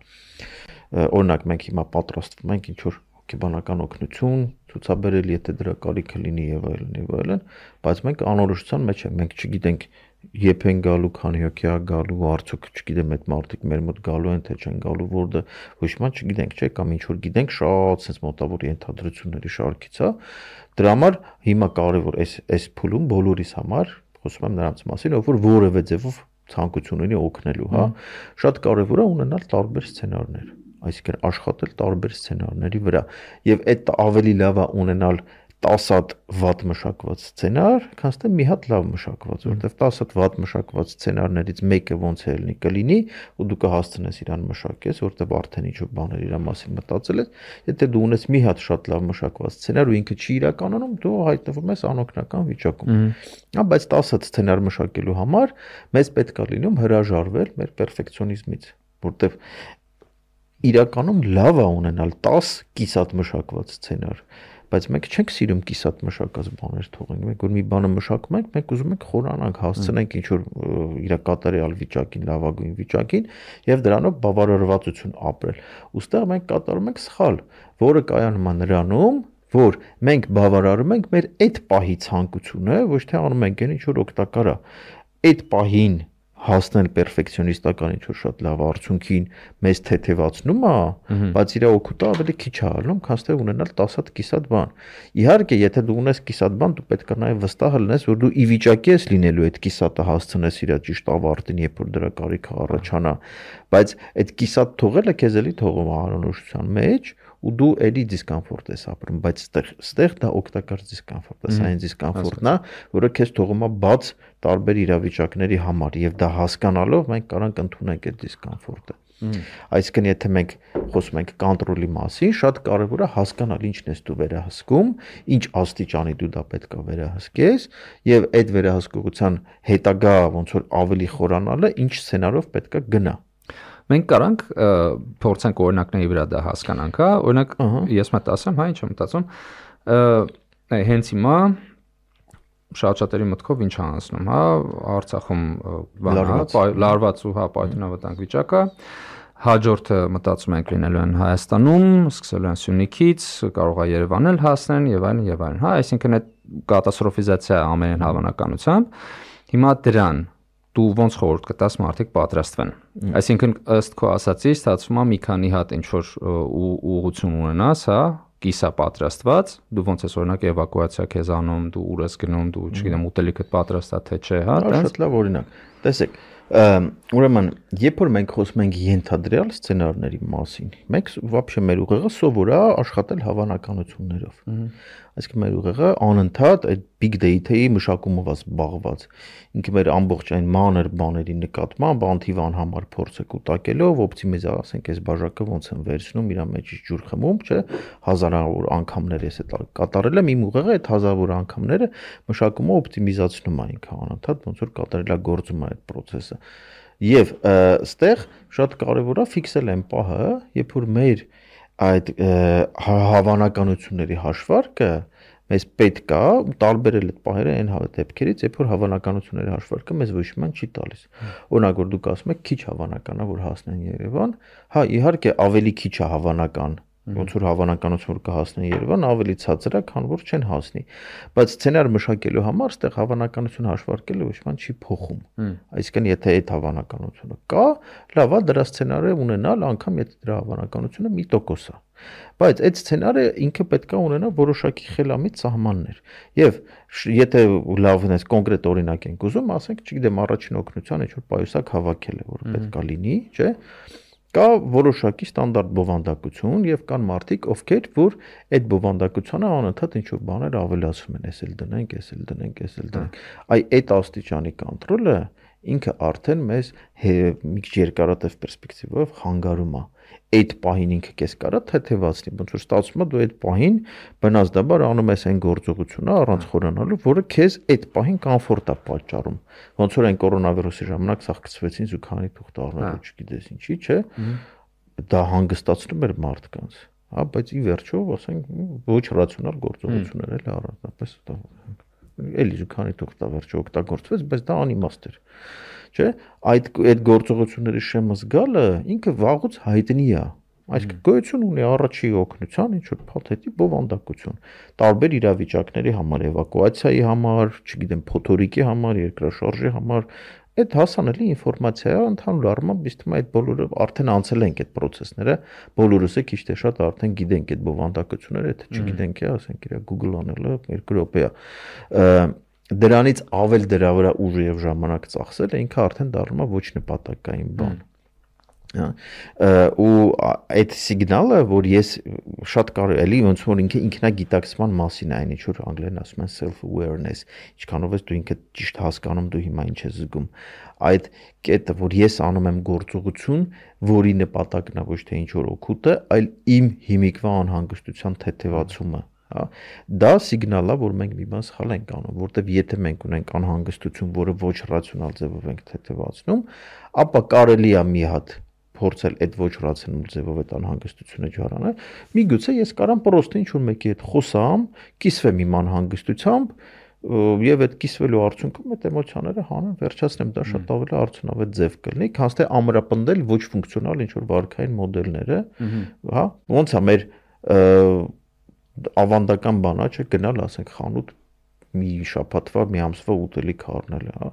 Speaker 1: Օրինակ մենք հիմա պատրաստվում ենք ինչ որ հոգեբանական օգնություն ցուցաբերել, եթե դրա կարիքը լինի եւ այլն եւ այլն, բայց մենք անորոշության մեջ ենք, մենք չգիտենք երբ են գալու, քանի հոգի է գալու, արդյոք չգիտեմ այդ մարդիկ մեր մոտ գալու են թե չեն գալու, որը ոչ մի չգիտենք, չէ՞, կամ ինչ որ գիտենք, շատ sense մոտավոր ենթադրությունների շարքից է։ Դրա համար հիմա կարևոր էս էս փուլում բոլորիս համար, խոսում եմ նրանց մասին, ով որ որևէ ձևով ցանկություն ունի օգնելու, հա, շատ կարևոր է ունենալ տարբեր սցենարներ։ այսինքն աշխատել տարբեր սցենարների վրա եւ այդ ավելի լավ է ունենալ տասը հատ վատ մշակված սցենար, քան թե մի հատ լավ մշակված, որովհետեւ տասը հատ վատ մշակված սցենարներից մեկը ոնց է լինի կլինի, ու դու կհասցնես իրան մշակես, որովհետեւ արդեն ինչ-որ բաներ իր մասին մտածել ես, եթե դու ունես մի հատ շատ լավ մշակված սցենար ու ինքը չի իրականում, դու հայտնվում ես անօգնական վիճակում։ Հա, բայց տասը հատ սցենար մշակելու համար մեզ պետք է լինում հրաժարվել մեր պերֆեկցիոնիզմից, որովհետեւ իրականում լավ է ունենալ տասը կիսատ մշակված սցենար, բայց մենք չենք սիրում կիսատ մշակած բաներ թողենք, մենք որ մի բանը մշակում ենք, մենք ուզում ենք խորանանք, հասցնենք ինչ որ իր կատարյալ վիճակին, լավագույն վիճակին եւ դրանով բավարարվածություն ապրել։ Ոստեղ մենք կատարում ենք սխալ, որը կայանում է նրանում, որ մենք բավարարում ենք մեր այդ պահի ցանկությունը, ոչ թե անում ենք այն ինչ որ օգտակար է։ Այդ պահին հասնել պերֆեկցիոնիստական ինչ-որ շատ լավ արդյունքին մեզ թեթևացնում է, բայց իր օգուտը ավելի քիչ է ալնում, քան թե ունենալ տասը հատ կիսատ բան։ Իհարկե, եթե դու ունես կիսատ բան, դու պետք է նաև վստահ լինես, որ դու ի վիճակի ես լինելու այդ կիսատը հասցնես իր ճիշտ ավարտին, երբ որ դրա կարիքը առաջանա, բայց այդ կիսատ թողելը քեզ էլի թողում է անորոշության մեջ, ու դու էլի դիսկոմֆորտ ես ապրում, բայց ստեղ ստեղ դա օգտակար դիսկոմֆորտ է, սա այն դիսկոմֆորտն է, որը քեզ թողում է բաց տարբեր իրավիճակների համար, եւ դա հասկանալով մենք կարանք ընդունենք այդ դիսկոմֆորտը։ Այսինքն, եթե մենք խոսում ենք կոնտրոլի մասին, շատ կարևոր է հասկանալ ինչն ես դու վերահսկում, ինչ աստիճանի դու դա պետք է վերահսկես, եւ այդ վերահսկողության հետագա ոնց որ ավելի խորանալը ինչ սցենարով պետք է գնա։
Speaker 2: Մենք կարանք փորձենք օրինակների վրա դա հասկանանք, հա, օրինակ ես մտ ասեմ, հա, ինչ եմ մտածում, հենց հիմա շատ շատերի մտքով ինչ անցնում, հա, Արցախում լարված ու հա պայթյունավտանգ վիճակը, հաջորդը մտածում ենք լինելու են Հայաստանում, սկսելու են Սյունիքից, կարող է Երևան էլ հասնեն եւ այլն եւ այլն, հա, այսինքն այդ կատաստրոֆիզացիա ամեն հավանականությամբ, հիմա դրան դու ոնց խորհուրդ կտաս մարդիկ պատրաստվեն։ Այսինքն ըստ քո ասացի, ստացվում է մի քանի հատ ինչ որ ուղղություն ունենաս, հա, կիսա պատրաստված, դու ոնց ես օրինակ էվակուացիա քեզ անում, դու ուր ես գնում, դու չգիտեմ ուտելիքդ պատրաստ է թե չէ, հա,
Speaker 1: դա շատ լավ օրինակ։ Տեսեք, ուրեմն, երբ որ մենք խոսում ենք ենթադրյալ սցենարների մասին, մենք вообще մեր ուղեղը սովոր է աշխատել հավանականություններով։ Այսինքն մեր ուղեղը անընդհատ այդ big data-ի մշակումով է զբաղված։ Ինքը մեր ամբողջ այն մանր բաների նկատմամբ անթիվան համար փորձ է կուտակելով, օպտիմիզա, ասենք, այս բաժակը ոնց են վերցնում, իր մեջից ջուր խմում, չէ, հազարավոր անգամներ ես այդ կատարել եմ, իմ ուղեղը այդ հազարավոր անգամները մշակումը օպտիմիզացնում է ինքը անընդհատ, ոնց որ կատարելագործում է այդ process-ը։ Եվ այստեղ շատ կարևոր է ֆիքսել այն պահը, երբ որ մեր այդ հավանականությունների հաշվարկը մեզ պետք է տարբերել այդ պահերը այն դեպքերից, երբ որ հավանականությունների հաշվարկը մեզ ոչ մի չի տալիս։ Օրինակ, որ դուք ասում եք քիչ հավանական է, որ հասնեն Երևան, հա, իհարկե ավելի քիչ է հավանական, ոնց որ հավանականություն որ կհասնեն Երևան, ավելի ցածր է, քան որ չեն հասնի։ Բայց սցենար մշակելու համար այդտեղ հավանականություն հաշվարկելը ոչ մի չի փոխում։ Այսինքն, եթե այդ հավանականությունը կա, լավ է դրա սցենարը ունենալ, անգամ եթե դրա հավանականությունը մի տոկոս է։ Բայց այդ սցենարը ինքը պետք է ունենա որոշակի խելամիտ սահմաններ։ Եվ եթե լավն է կոնկրետ օրինակ ենք ուզում, ասենք, չգիտեմ, առաջին օգնության ինչ-որ պայուսակ հավաքել է, որը պետք է լինի, չէ՞։ Կա որոշակի ստանդարտ բովանդակություն եւ կան մարդիկ, ովքեր որ այդ բովանդակությանը անընդհատ ինչ-որ բաներ ավելացում են, էսել դնենք, էսել դնենք, էսել դնենք։ Այ այդ աստիճանի կոնտրոլը ինքը արդեն մեզ մի քիչ երկարատև պերսպեկտիվով խանգարում է։ Այդ պահին ինքը քեզ կարա թեթևացնի, ոնց որ ստացվում է դու այդ պահին բնազդաբար անում ես այն գործողությունը առանց խորանալու, որը քեզ այդ պահին կոմֆորտ է պատճառում։ Ոնց որ այն կորոնավիրուսի ժամանակ սաղկցվեցին զուգանի թուղթ առնելու, չգիտես ինչի, չէ։ Դա հանգստացնում էր մարդկանց, հա, բայց ի վերջո, ասենք, ոչ ռացիոնալ գործողություններ էլ առանձնապես էլի զուգանի թուղթ վերջո օգտագործվեց, բայց դա անիմաստ էր։ Չէ, այդ այդ գործողությունների շեմը զգալը ինքը վաղուց հայտնի է։ Այսինքն գոյություն ունի առաջի օգնության ինչ որ փաթեթի բովանդակություն տարբեր իրավիճակների համար, էվակուացիայի համար, չգիտեմ, փոթորիկի համար, երկրաշարժի համար, այդ հասանելի ինֆորմացիա է, ընդհանուր առմամբ իսկ այդ բոլորը արդեն անցել ենք այդ process-ները, բոլորս է քիչ թե շատ արդեն գիտենք այդ բովանդակությունները, եթե չգիտենք, ասենք, իր Google անելը երկու րոպե է։ Դրանից ավել դրա վրա ուժ եւ ժամանակ ծախսելը ինքը արդեն դառնում է ոչ նպատակային բան։ ու այդ սիգնալը, որ ես շատ կարևոր էլի ոնց որ ինքը ինքնագիտակցման մասին է, այն ինչ որ անգլերեն ասում են self awareness, ինչքանով ես դու ինքդ ճիշտ հասկանում դու հիմա ինչ ես զգում, այդ կետը, որ ես անում եմ գործողություն, որի նպատակն է ոչ թե ինչ որ օգուտը, այլ իմ հիմիկվա անհանգստության թեթևացումը, հա, դա սիգնալ է, որ մենք մի բան սխալ ենք անում, որտեվ եթե մենք ունենք անհանգստություն, որը ոչ ռացիոնալ ձևով ենք թեթևացնում, ապա կարելի է մի հատ փորձել այդ ոչ ռացիոնալ ձևով այդ անհանգստությունը ջարանալ, միգուցե ես կարամ պրոստը ինչ որ մեկի հետ խոսամ, կիսվեմ իմ անհանգստությամբ եւ այդ կիսվելու արդյունքում այդ էմոցիաները հանեմ, վերջացնեմ, դա շատ ավելի արդյունավետ ձև կլինի, քան թե ամրապնդել ոչ ֆունկցիոնալ ինչ որ վարքային մոդելները, հա, ոնց է մեր ավանդական բանա չէ գնալ, ասենք խանութ մի շաբաթվա, մի ամսվա ուտելիք առնել, հա,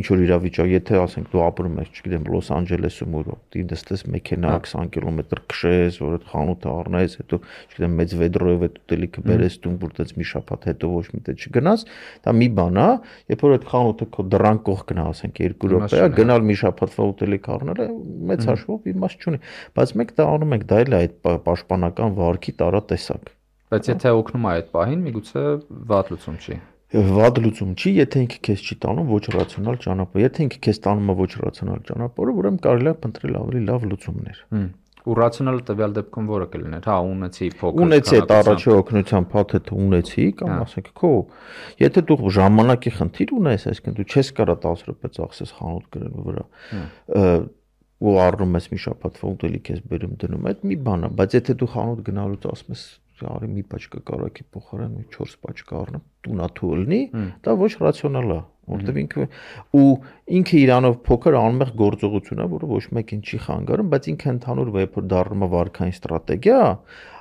Speaker 1: ինչ որ իրավիճակ, եթե ասենք դու ապրում ես, չգիտեմ, Լոս Անջելեսում ու դի դստես մեքենա քսան կիլոմետր քշես, որ այդ խանութը առնես, հետո, չգիտեմ, մեծ վեդրոյով այդ ուտելիքը բերես տուն, որ դից մի շաբաթ հետո ոչ մի տեղ չգնաս, դա մի բան է, երբ որ այդ խանութը քո դռան կողքն է, ասենք երկու րոպե է, գնալ մի շաբաթվա ուտելիք առնելը մեծ հաշվով իմաստ չունի, բայց մենք դա անում ենք, դա էլ է այդ պաշտպանական վարքի տարատեսակ։
Speaker 2: Բայց եթե օգնում է այդ պահին, միգուցե վատ լուծում չի։
Speaker 1: Վատ լուծում չի, եթե ինքը քեզ չի տանում ոչ ռացիոնալ ճանապարհ, եթե ինքը քեզ տանում է ոչ ռացիոնալ ճանապարհը, ուրեմն կարելի է փնտրել ավելի լավ լուծումներ։
Speaker 2: Ու ռացիոնալը տվյալ դեպքում որը կլիներ, հա, ունեցի փոքր
Speaker 1: ունեցի այդ առաջի օգնության փաթեթը ունեցի, կամ ասենք քո, եթե դու ժամանակի խնդիր ունես, այսինքն դու չես կարա տասը րոպե ծախսես խանութ գրելու վրա, ու առնում ես մի շաբաթվա ուտելիք ես բերում դնում, այդ մի բան է, բայց եթե դու խանութ գնալուց ասում ես արի մի պաճկա կարակի փոխարեն մի չորս պաճկա առնեմ, տունա թույլնի, դա ոչ ռացիոնալ է, որտեղ ինքը ու ինքը իրանով փոքր անմեղ գործողություն է, որը ոչ մեկին չի խանգարում, բայց ինքը ընդհանուր վեպը դառնում է վարքային ստրատեգիա,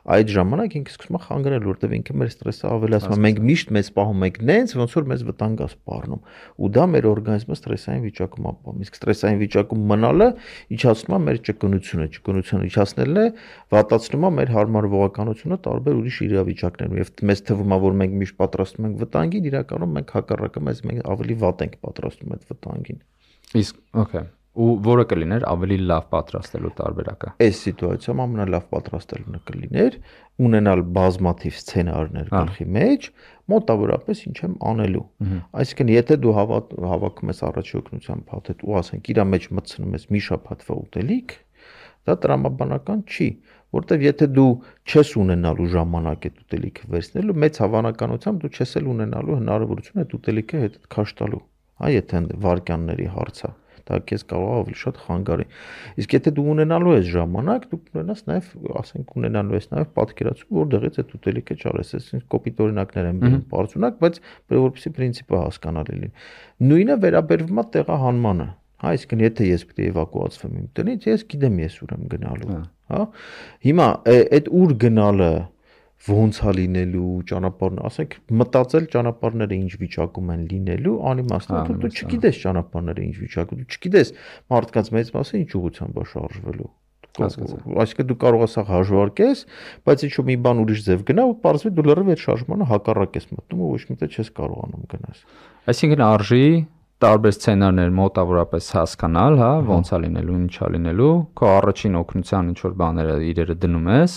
Speaker 1: այդ ժամանակ ինքը սկսում է խանգարել, որտեղ ինքը մեր ստրեսը ավելացնում է, մենք միշտ մեծ պահում ենք նենց, ոնց որ մեզ վտանգ է սպառնում, ու դա մեր օրգանիզմը ստրեսային վիճակում ապահովում, իսկ ստրեսային վիճակում մնալը իջացնում է մեր ճկունությունը, ճկունությունը իջացնելն է, վատացնում է մեր հարմարվողականությունը տարբեր ուրիշ իրավիճակներում, եւ մեզ թվում է, որ մենք միշտ պատրաստվում ենք վտանգին, իրականում մենք հակառակը մեզ մենք ավելի վատ ենք պատրաստվում այդ վտանգին։
Speaker 2: Իսկ, okay, ու որը կլիներ ավելի լավ պատրաստելու տարբերակը։
Speaker 1: Այս սիտուացիայում ամենալավ պատրաստելը կլիներ ունենալ բազմաթիվ սցենարներ գլխի մեջ, մոտավորապես ինչ եմ անելու։ Այսինքն, եթե դու հավաքում ես առաջի օգնության փաթեթ ու ասենք իր մեջ մտցնում ես մի շաբաթվա ուտելիք, դա տրամաբանական չի, որտեվ եթե դու չես ունենալու ժամանակ այդ ուտելիքը վերցնելու, մեծ հավանականությամբ դու չես էլ ունենալու հնարավորություն այդ ուտելիքը հետ քաշ տալու, հա, եթե վարքյանների հարց է, դա քեզ կարող է ավելի շատ խանգարի։ Իսկ եթե դու ունենալու ես ժամանակ, դու կունենաս նաև, ասենք, ունենալու ես նաև պատկերացում, որտեղից այդ ուտելիքը ճարես, այսինքն կոպիտ օրինակներ են բերում բարձունակ, բայց որպեսզի պրինցիպը հասկանալի լինի։ Նույնը վերաբերվում է տեղահանմանը։ Հա, այսինքն եթե ես պետք է էվակուացվեմ իմ տնից, ես գիտեմ ես ուր եմ գնալու, հա։ Հիմա այդ ուր գնալը ոնց է լինելու ճանապարհն, ասենք մտածել ճանապարհները ինչ վիճակում են լինելու, անիմաստ է, դու չգիտես ճանապարհները ինչ վիճակում, դու չգիտես մարդկանց մեծ մասը ինչ ուղղությամբ է շարժվելու։ Այսինքն դու կարող ես հաշվարկես, բայց ինչ որ մի բան ուրիշ ձև գնա ու պարզվի դու լրիվ այդ շարժմանը հակառակ ես մտնում ու ոչ մի տեղ չես կարողանում գնաս։
Speaker 2: Այսինքն արժի տարբեր սցենարներ մոտավորապես հասկանալ, հա, ոնց է լինելու, ինչ է լինելու, քո առաջին օգնության ինչ որ բաները իրերը դնում ես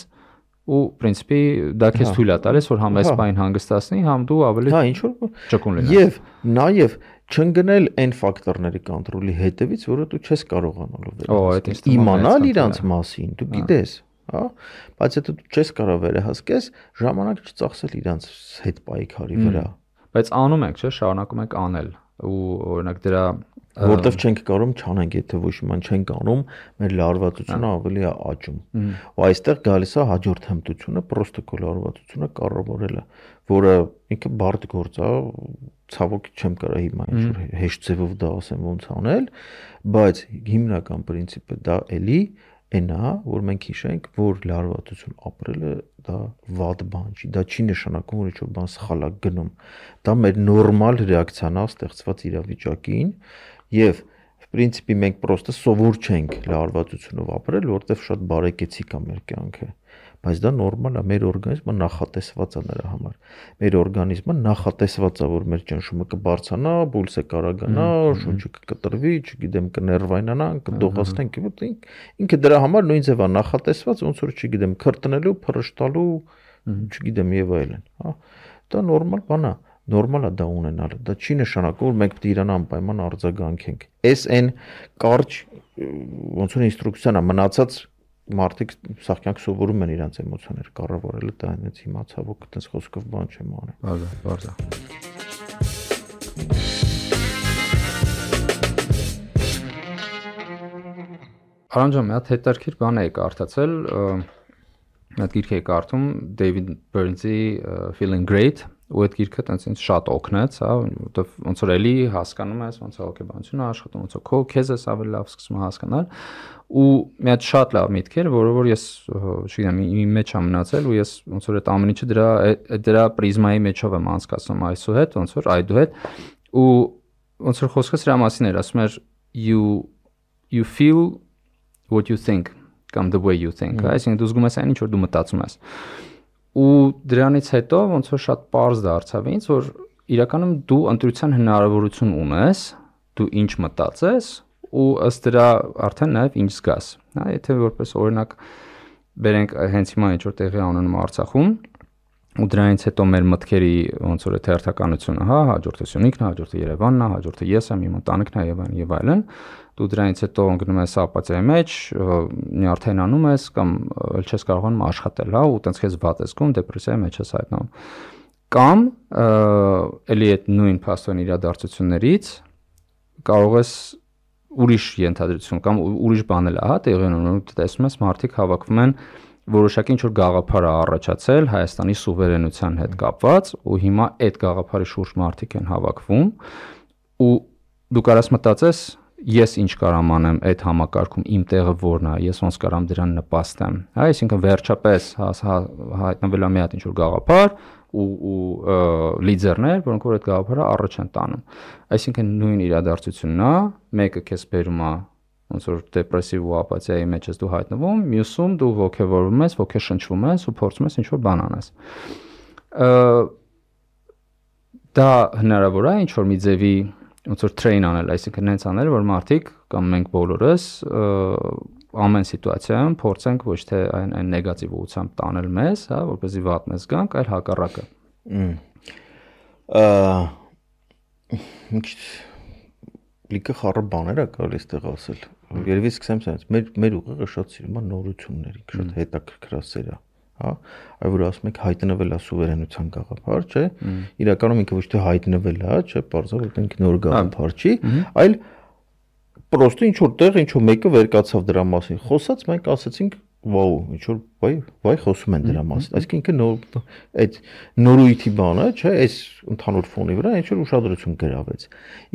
Speaker 2: ու պրինցիպի դա քեզ թույլ է տալիս որ համ այս բան հանգստացնի, համ դու ավելի
Speaker 1: հա ինչ որ
Speaker 2: ճկուն լինես։
Speaker 1: Եվ նաև չընկնել այն ֆակտորների կոնտրոլի հետևից, որը դու չես կարողանալու վերահսկել։ Իմանալ իրանց մասին, դու գիտես, հա, բայց եթե դու չես կարող վերահսկես, ժամանակ չծախսել իրանց հետ պայքարի վրա։
Speaker 2: Բայց անում ենք, չէ, շարունակում ենք անել ու օրինակ դրա
Speaker 1: որտեվ չենք կարող չանենք, եթե ոչ մի բան չենք անում, մեր լարվածությունը ավելի է աճում։ Ու այստեղ գալիս է հաջորդ հմտությունը, պրոստոկոլ լարվածությունը կառավարելը, որը ինքը բարդ գործ է, ցավոք չեմ կարող հիմա ինչ-որ հեշտ ձևով դա ասեմ ոնց անել, բայց հիմնական պրինցիպը դա էլի այն է, որ մենք հիշենք, որ լարվածություն ապրելը դա վատ բան չի, դա չի նշանակում, որ ինչ-որ բան սխալ է գնում։ Դա մեր նորմալ ռեակցիան է ստեղծված իրավիճակին եւ պրինցիպի մենք պրոստը սովոր չենք լարվածությունով ապրել, որտեվ շատ բարեկեցիկ է մեր կյանքը։ բայց դա նորմալ է, մեր օրգանիզմը նախատեսված է նրա համար։ Մեր օրգանիզմը նախատեսված է, որ մեր ճնշումը կբարձրանա, պուլսը կարագանա, շունչը կկտրվի, չգիտեմ, կներվայնանա, կդողացնենք, ինքը դրա համար նույն ձև է նախատեսված, ոնց որ չգիտեմ, քրտնելու, փռշտալու, չգիտեմ եւ այլն, հա։ Դա նորմալ բան է, նորմալ է դա ունենալը։ Դա չի նշանակում, որ մենք պետք է իրան անպայման արձագանքենք։ Էս այն կարճ ոնց որ ինստրուկցիան է մնացած մարդիկ սաղ կյանք սովորում են իրանց էմոցիաները կառավարելը, դա այնպես հիմա ցավոք այդպես խոսքով բան չեմ անում։
Speaker 2: Բարձա, բարձա։ Արանջան, մի հատ հետարքիր բան էի կարդացել, մի հատ գիրք էի կարդում David Burns-ի Feeling Great, ու այդ գիրքը տենց ինձ շատ օգնեց, հա, որտեվ ոնց որ էլի հասկանում ես, ոնց է հոգեբանությունը աշխատում, ոնց է քո քեզ ես ավելի լավ սկսում հասկանալ, ու մի հատ շատ լավ միտք էր, որը որ ես, չգիտեմ, իմ մեջ եմ մնացել, ու ես ոնց որ այդ ամեն ինչը դրա դրա պրիզմայի մեջով եմ անցկացնում այսուհետ, ոնց որ այդուհետ, ու ոնց որ խոսքը սրա մասին էր, ասում էր you you feel what you think, կամ the way you think, այսինքն դու զգում ես այն ինչ որ դու մտածում ես։ Ու դրանից հետո ոնց որ շատ པարզ դարձավ ինձ, որ իրականում դու ընտրության հնարավորություն ունես, դու ինչ մտածես ու ըստ դրա արդեն նաև ինչ զգաս։ Հա, եթե որպես օրինակ բերենք հենց հիմա ինչ որ տեղի ունենում Արցախում, ու դրանից հետո մեր մտքերի ոնց որ այդ հերթականությունը, հա, հաջորդը Սյունիքն է, հաջորդը Երևանն է, հաջորդը ես եմ, իմ ընտանիքն է եւ այլն եւ այլն, դու դրանից հետո ընկնում ես ապաթիայի մեջ, նյարդայնանում ես կամ ել չես կարողանում աշխատել, հա, ու տենց քեզ վատ ես զգում, դեպրեսիայի մեջ ես հայտնվում։ Կամ էլի այդ նույն փաստորեն իրադարձություններից կարող ես ուրիշ ենթադրություն կամ ուրիշ բանել, հա, տեղի ունենում, տեսնում ես մարդիկ հավաքվում են որոշակի ինչ որ գաղափար է առաջացել Հայաստանի սուվերենության հետ կապված, ու հիմա այդ գաղափարի շուրջ մարդիկ են հավաքվում, ու դու կարաս մտածես ես ինչ կարամ անեմ այդ համակարգում, իմ տեղը որն է, ես ոնց կարամ դրան նպաստեմ։ Հա, այսինքն վերջապես հայտնվել է մի հատ ինչ որ գաղափար ու ու լիդերներ, որոնք որ այդ գաղափարը առաջ են տանում։ Այսինքն նույն իրադարձությունն է, մեկը քեզ բերում է ոնց որ դեպրեսիվ ու ապաթիայի մեջ ես դու հայտնվում, մյուսում դու ոգևորվում ես, ոգեշնչվում ես ու փորձում ես ինչ որ բան անես։ Դա հնարավոր է ինչ որ մի ձևի ոնց որ train անել, այսինքն հենց անել, որ մարդիկ կամ մենք բոլորս ամեն սիտուացիայում փորձենք ոչ թե այն այն նեգատիվ ուղղությամբ տանել մեզ, հա, որպեսզի վատ մեզ գանք, այլ հակառակը։
Speaker 1: Ինչ լիքը խառը բաներ է կարելի այստեղ ասել։ Երևի սկսեմ սրանից։ Մեր մեր ուղեղը շատ սիրում է նորությունների, շատ հետաքրքրասեր է, հա, այ որ ասում եք հայտնվել է սուվերենության գաղափար, չէ՞։ Իրականում ինքը ոչ թե հայտնվել է, չէ՞, բարձր որ ինքը նոր գաղափար չի, այլ պրոստը ինչ որ տեղ ինչ որ մեկը վեր կացավ դրա մասին։ Խոսած մենք ասացինք, վաու, ինչ որ վայ, վայ խոսում են դրա մասին։ Այսինքն ինքը նոր այդ նորույթի բանը, չէ՞, այս ընդհանուր ֆոնի վրա ինչ որ ուշադրություն գրավեց։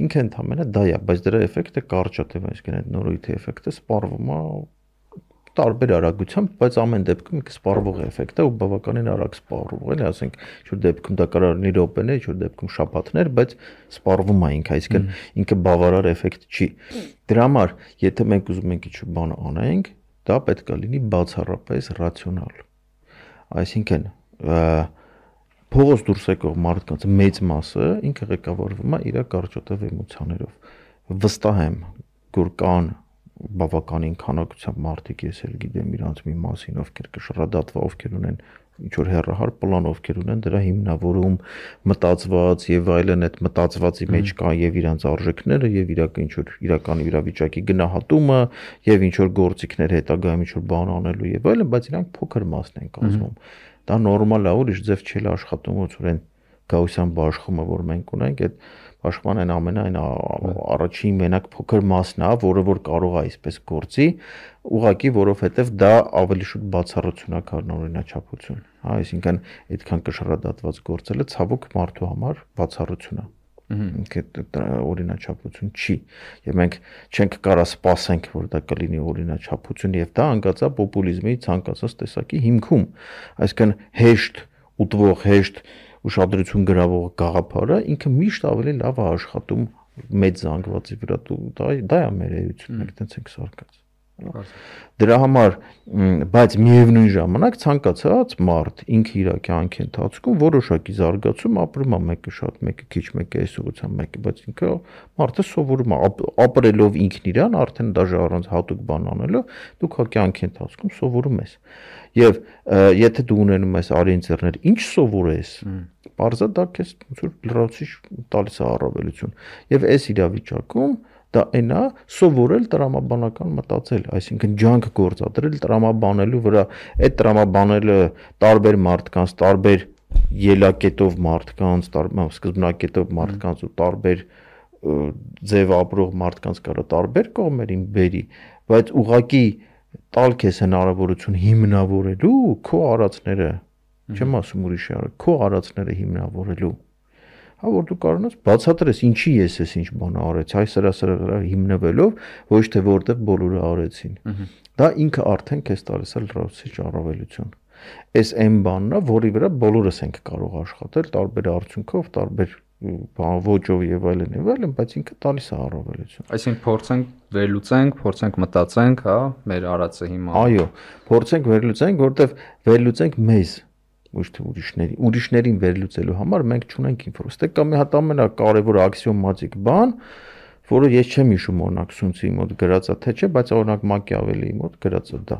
Speaker 1: Ինքը ընդհանրապես դա է, բայց դրա էֆեկտը կարճ է, այսինքն այդ նորույթի էֆեկտը սպառվում է տարբեր արագությամբ, բայց ամեն դեպքում ինքը սպառվող էֆեկտ է ու բավականին արագ սպառվող է, ասենք, ինչ որ դեպքում դա կարող լինի րոպեներ, ինչ որ դեպքում շաբաթներ, բայց սպառվում է ինքը, այսինքն ինքը բավարար էֆեկտ չի։ Դրա համար, եթե մենք ուզում ենք ինչ-որ բան անենք, դա պետք է լինի բացառապես ռացիոնալ։ Այսինքն, փողոց դուրս եկող մարդկանց մեծ մասը ինքը ղեկավարվում է իր կարճատև էմոցիաներով։ Վստահ եմ, որ կան բավականին քանակությամբ մարդիկ, ես էլ գիտեմ իրանց մի մասին, ովքեր կշռադատվա, ովքեր ունեն ինչ որ հեռահար պլան, ովքեր ունեն դրա հիմնավորում մտածված եւ այլն, այդ մտածվածի մեջ կա եւ իրանց արժեքները եւ իրական ինչ որ իրական իրավիճակի գնահատումը եւ ինչ որ գործիքներ հետագայում ինչ որ բան անելու եւ այլն, բայց իրանք փոքր մասն են կազմում։ Դա նորմալ է, ուրիշ ձև չի աշխատում, ոնց որ այն գաուսյան բաշխումը, որ մենք ունենք, այդ Աշխման այն ամենայն առաջին մենակ փոքր մասն է, որը որ կարող է այսպես գործի, ուղղակի որովհետև դա ավելի շուտ բացառություն է, քան օրինաչափություն։ Հա, այսինքն այդքան կշռադատված գործելը ցավոք մարդու համար բացառություն է։ Ինքը օրինաչափություն չի։ Եվ մենք չենք կարա սպասենք, որ դա կլինի օրինաչափություն, եւ դա անկած է պոպուլիզմի ցանկացած տեսակի հիմքում։ Այսինքն հեշտ ուտվող, հեշտ ուշադրություն գրավող գաղափարը ինքը միշտ ավելի լավ է աշխատում մեծ զանգվածի վրա, դա դա է մեր էությունը, մենք տենց ենք սարկած։ Դրա համար, բայց միևնույն ժամանակ ցանկացած մարդ ինքը իր կյանքի ընթացքում որոշակի զարգացում ապրում է, մեկը շատ, մեկը քիչ, մեկը այս ուղղությամբ, մեկը, բայց ինքը մարդը սովորում է ապրելով ինքն իրան, արդեն դաժե առանց հատուկ բան անելով, դու քո կյանքի ընթացքում սովորում ես։ Եվ եթե դու ունենում ես արիենցերներ, ինչ սովորես, բարձա դա քեզ ոնց որ լրացուցիչ տալիս է առավելություն։ Եվ այս իրավիճակում դա այն է սովորել տրամաբանական մտածել, այսինքն ջանք գործադրել տրամաբանելու վրա, այդ տրամաբանելը տարբեր մարդկանց, տարբեր ելակետով մարդկանց, սկզբնակետով մարդկանց ու տարբեր ձև ապրող մարդկանց կարա տարբեր կողմերին բերի, բայց ուղղակի տալ քեզ հնարավորություն հիմնավորելու քո արածները, չեմ ասում ուրիշի արա, քո արածները հիմնավորելու հա որ դու կարողանաս բացատրես ինչի ես ես ինչ բան արեցի, այ սրա սրա վրա հիմնվելով, ոչ թե որտեղ բոլորը արեցին։ Դա ինքը արդեն քեզ տալիս է լրացուցիչ առավելություն։ Այս այն բանն է, որի վրա բոլորս ենք կարող աշխատել տարբեր արդյունքով, տարբեր ոճով եւ այլն եւ այլն, բայց ինքը տալիս է առավելություն։
Speaker 2: Այսինքն փորձենք վերլուծենք, փորձենք մտածենք, հա, մեր արածը հիմա։
Speaker 1: Այո, փորձենք վերլուծենք, որտեվ վերլուծենք մեզ ոչ թե ուրիշների, ուրիշներին վերլուծելու համար մենք չունենք ինֆորմացիա։ Ստե կա մի հատ ամենակարևոր աքսիոմատիկ բան, որը ես չեմ հիշում օրինակ Սունցի մոտ գրած է, թե չէ, բայց օրինակ Մակիավելիի մոտ գրած է դա։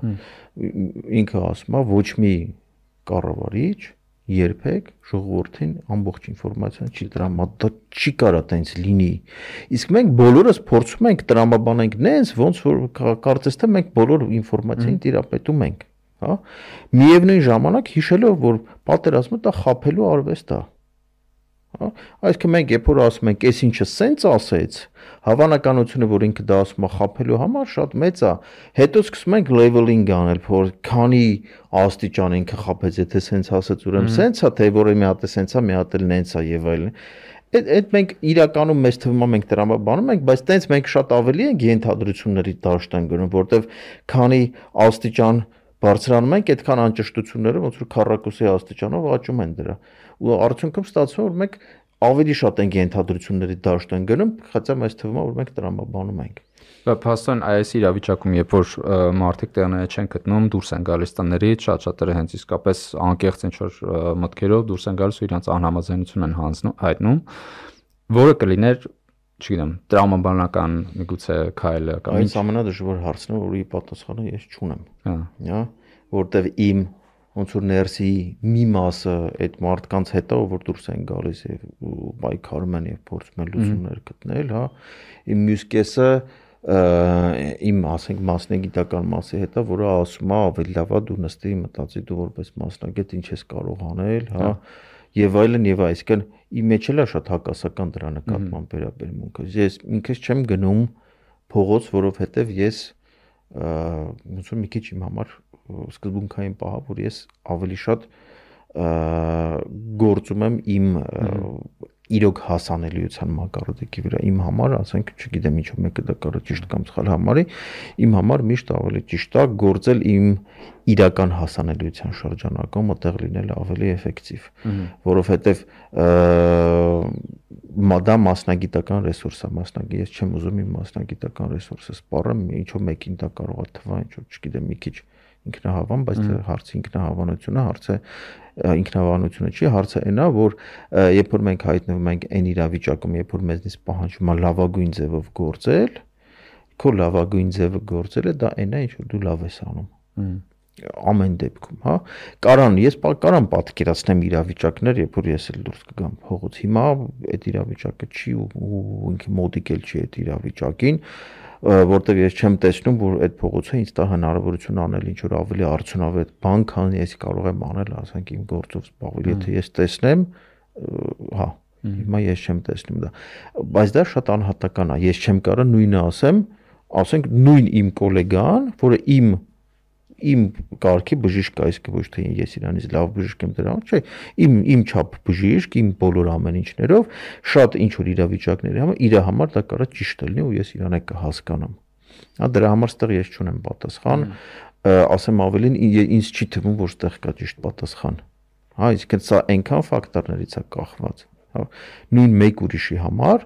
Speaker 1: Ինքը ասում է ոչ մի կառավարիչ երբեք ժողովրդին ամբողջ ինֆորմացիան չի տրամադրում, դա չի կարա տենց լինի։ Իսկ մենք բոլորս փորձում ենք տրամաբանենք նենց, ոնց որ կարծես թե մենք բոլոր ինֆորմացիային տիրապետում ենք, հա։ Միևնույն ժամանակ հիշելով, որ պատերազմը դա խաբելու արվեստ է։ Հա, այսինքն մենք երբ որ ասում ենք, այս ինչը սենց ասեց, հավանականությունը, որ ինքը դա ասում է խաբելու համար, շատ մեծ է։ Հետո սկսում ենք leveling անել, որ քանի աստիճան ինքը խաբեց, եթե սենց ասեց, ուրեմն սենց է, թե որը մի հատ է սենց է, մի հատ էլ նենց է եւ այլն։ Այդ այդ մենք իրականում մեծ թվում է մենք տրամաբանում ենք, բայց տենց մենք շատ ավելի ենք ենթադրությունների դաշտան գնում, որտեվ քանի աստիճան բարձրանում ենք, այդքան անճշտությունները ոնց որ քառակուսի աստիճանով աճում են դրա։ Ու արդյունքում ստացվում է, որ մենք ավելի շատ ենք ենթադրությունների դաշտան գնում, խծա մեծ թվում է, որ մենք տրամաբանում ենք։
Speaker 2: Բա փաստորեն այս իրավիճակում, երբ որ մարդիկ տեղները չեն գտնում, դուրս են գալիս տներից, շատ-շատերը հենց իսկապես անկեղծ ինչ որ մտքերով դուրս են գալիս ու իրանց անհամաձայնություն են հայտնում, որը կլիներ, չգիտեմ, տրամաբանական միգուցե քայլը կամ
Speaker 1: այս ամենադժվար հարցն է, որի պատասխանը ես չունեմ։ Հա, որտեվ իմ ոնց որ ներսի մի մասը այդ մարդկանց հետ է, որ դուրս են գալիս եւ պայքարում են եւ փորձում են լուծումներ գտնել, հա, իմ մյուս կեսը իմ ասենք մասնագիտական մասի հետ է, որը ասում է ավելի լավ է դու նստի մտածի դու որպես մասնագետ ինչ ես կարող անել, հա, եւ այլն եւ այսինքն իմ մեջ էլ է շատ հակասական դրա նկատմամբ վերաբերմունքը։ Ես ինքս չեմ գնում փողոց, որովհետեւ ես ոնց որ մի քիչ իմ համար սկզբունքային պահ, որ ես ավելի շատ գործում եմ իմ իրոք հասանելիության մակարդակի վրա, իմ համար, ասենք, չգիտեմ ինչու մեկը դա կարող ճիշտ կամ սխալ համարի, իմ համար միշտ ավելի ճիշտ է գործել իմ իրական հասանելիության շրջանակում, այդտեղ լինելը ավելի էֆեկտիվ, որովհետև դա մասնագիտական ռեսուրս է, մասնագետ, ես չեմ ուզում իմ մասնագիտական ռեսուրսը սպառեմ, ինչու մեկին դա կարող է թվա, ինչու, չգիտեմ, մի քիչ ինքնահավան, բայց հարցը ինքնահավանությունը, հարցը ինքնահավանությունը չի, հարցը այն է, որ երբ որ մենք հայտնվում ենք այն իրավիճակում, երբ որ մեզնից պահանջվում է լավագույն ձևով գործել, քո լավագույն ձևը գործելը դա այն է, ինչ որ դու լավ ես անում։ Ամեն դեպքում, հա, կարան, ես կարամ պատկերացնեմ իրավիճակներ, երբ որ ես էլ դուրս կգամ փողոց։ Հիմա այդ իրավիճակը չի ու ինքը մոդիկ էլ չի այդ իրավիճակին, որտեղ ես չեմ տեսնում, որ այդ փողոցը ինձ տա հնարավորություն անել ինչ որ ավելի արդյունավետ բան, քան ես կարող եմ անել, ասենք իմ գործով զբաղվել, եթե ես տեսնեմ, հա, հիմա ես չեմ տեսնում դա, բայց դա շատ անհատական է, ես չեմ կարող նույնը ասեմ, ասենք նույն իմ գոլեգան, որը իմ իմ կարգի բժիշկ է, իսկ ոչ թե ես իրանից լավ բժիշկ եմ դրա, չէ, իմ իմ չափ բժիշկ, իմ բոլոր ամեն ինչներով, շատ ինչ որ իրավիճակների համար իր համար դա կարա ճիշտ լինի ու ես իրան է կհասկանամ։ Հա, դրա համար ստեղ ես չունեմ պատասխան, ասեմ ավելին, ինձ չի թվում, որ ստեղ կա ճիշտ պատասխան։ Հա, իսկ սա այնքան ֆակտորներից է կախված, հա, նույն մեկ ուրիշի համար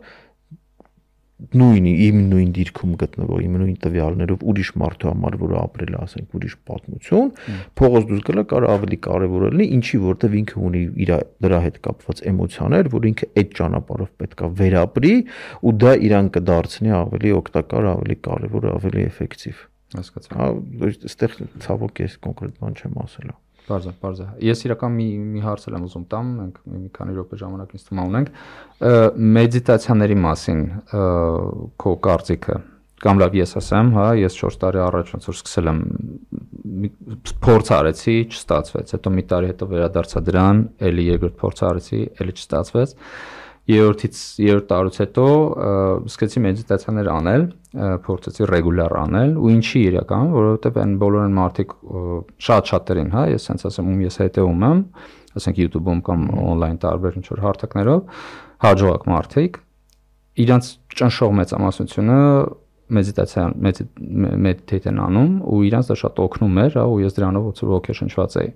Speaker 1: նույնի իմ նույն դիրքում գտնվող իմ նույն տվյալներով ուրիշ մարդու համար, որը ապրել է, ասենք, ուրիշ պատմություն, փողոց դուրս գալը կարող ավելի կարևոր է լինի, ինչի որտեվ ինքը ունի իր դրա հետ կապված էմոցիաներ, որ ինքը այդ ճանապարհով պետքա վերապրի ու դա իրան կդարձնի ավելի օգտակար, ավելի կարևոր, ավելի էֆեկտիվ։
Speaker 2: Հասկացա։
Speaker 1: Հա, այստեղ ցավոք ես կոնկրետ բան չեմ ասել։
Speaker 2: Բարձր, բարձր։ Ես իրական մի մի հարց եմ ուզում տամ, մենք մի քանի րոպե ժամանակ ինձ թվում ունենք, մեդիտացիաների մասին քո կարծիքը, կամ լավ ես ասեմ, հա, ես չորս տարի առաջ ոնց որ սկսել եմ փորձ արեցի, չստացվեց, հետո մի տարի հետո վերադարձա դրան, էլի երկրորդ փորձ արեցի, էլի չստացվեց։ Երրորդից երրորդ տարուց հետո սկսեցի մեդիտացիաներ անել, փորձեցի ռեգուլար անել, ու ինչի իրական, որովհետև այն բոլոր այն մարդիկ շատ շատերին, հա, ես sense ասեմ, ում ես հետևում եմ, ասենք YouTube-ում կամ on-line տարբեր ինչ-որ հարթակներով, հաջողակ մարդիկ, իրանց ճնշող մեծամասնությունը մեդիտացիա մեդիտեյտ են անում ու իրանց դա շատ օգնում էր, հա, ու ես դրանով ոնց որ ոգեշնչված էի։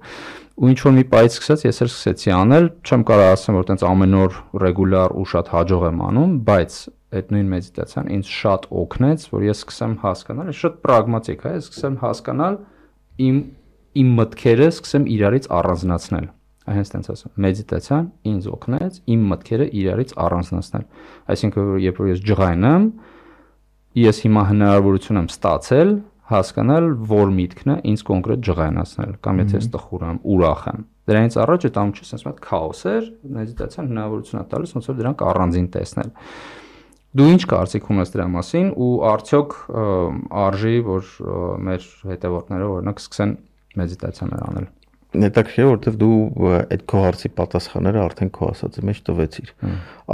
Speaker 2: Ու ինչ որ մի պայից սկսեց, ես էլ սկսեցի անել, չեմ կարող ասեմ, որ տենց ամեն օր ռեգուլար ու շատ հաջող եմ անում, բայց այդ նույն մեդիտացիան ինձ շատ օգնեց, որ ես սկսեմ հասկանալ, շատ պրագմատիկ է, ես սկսեմ հասկանալ իմ իմ մտքերը, սկսեմ իրարից առանձնացնել։ Հենց տենց ասեմ, մեդիտացիան ինձ օգնեց իմ մտքերը իրարից առանձնացնել։ Այսինքն, երբ որ ես ջղայն եմ, ես հիմա հնարավորություն եմ ստացել հասկանալ, որ միտքն է ինձ կոնկրետ ջղայնացնել, կամ եթե ես տխուր եմ, ուրախ եմ։ Դրանից առաջ այդ ամենը sense մի հատ քաոս էր, մեդիտացիան հնարավորություն է տալիս ոնց որ դրանք առանձին տեսնել։ Դու ինչ կարծիք ունես դրա մասին ու արդյոք արժի, որ մեր հետևորդները օրինակ սկսեն մեդիտացիաներ անել։
Speaker 1: Հետաքրքիր է, որովհետև դու այդ քո հարցի պատասխանները արդեն քո ասածի մեջ տվեցիր։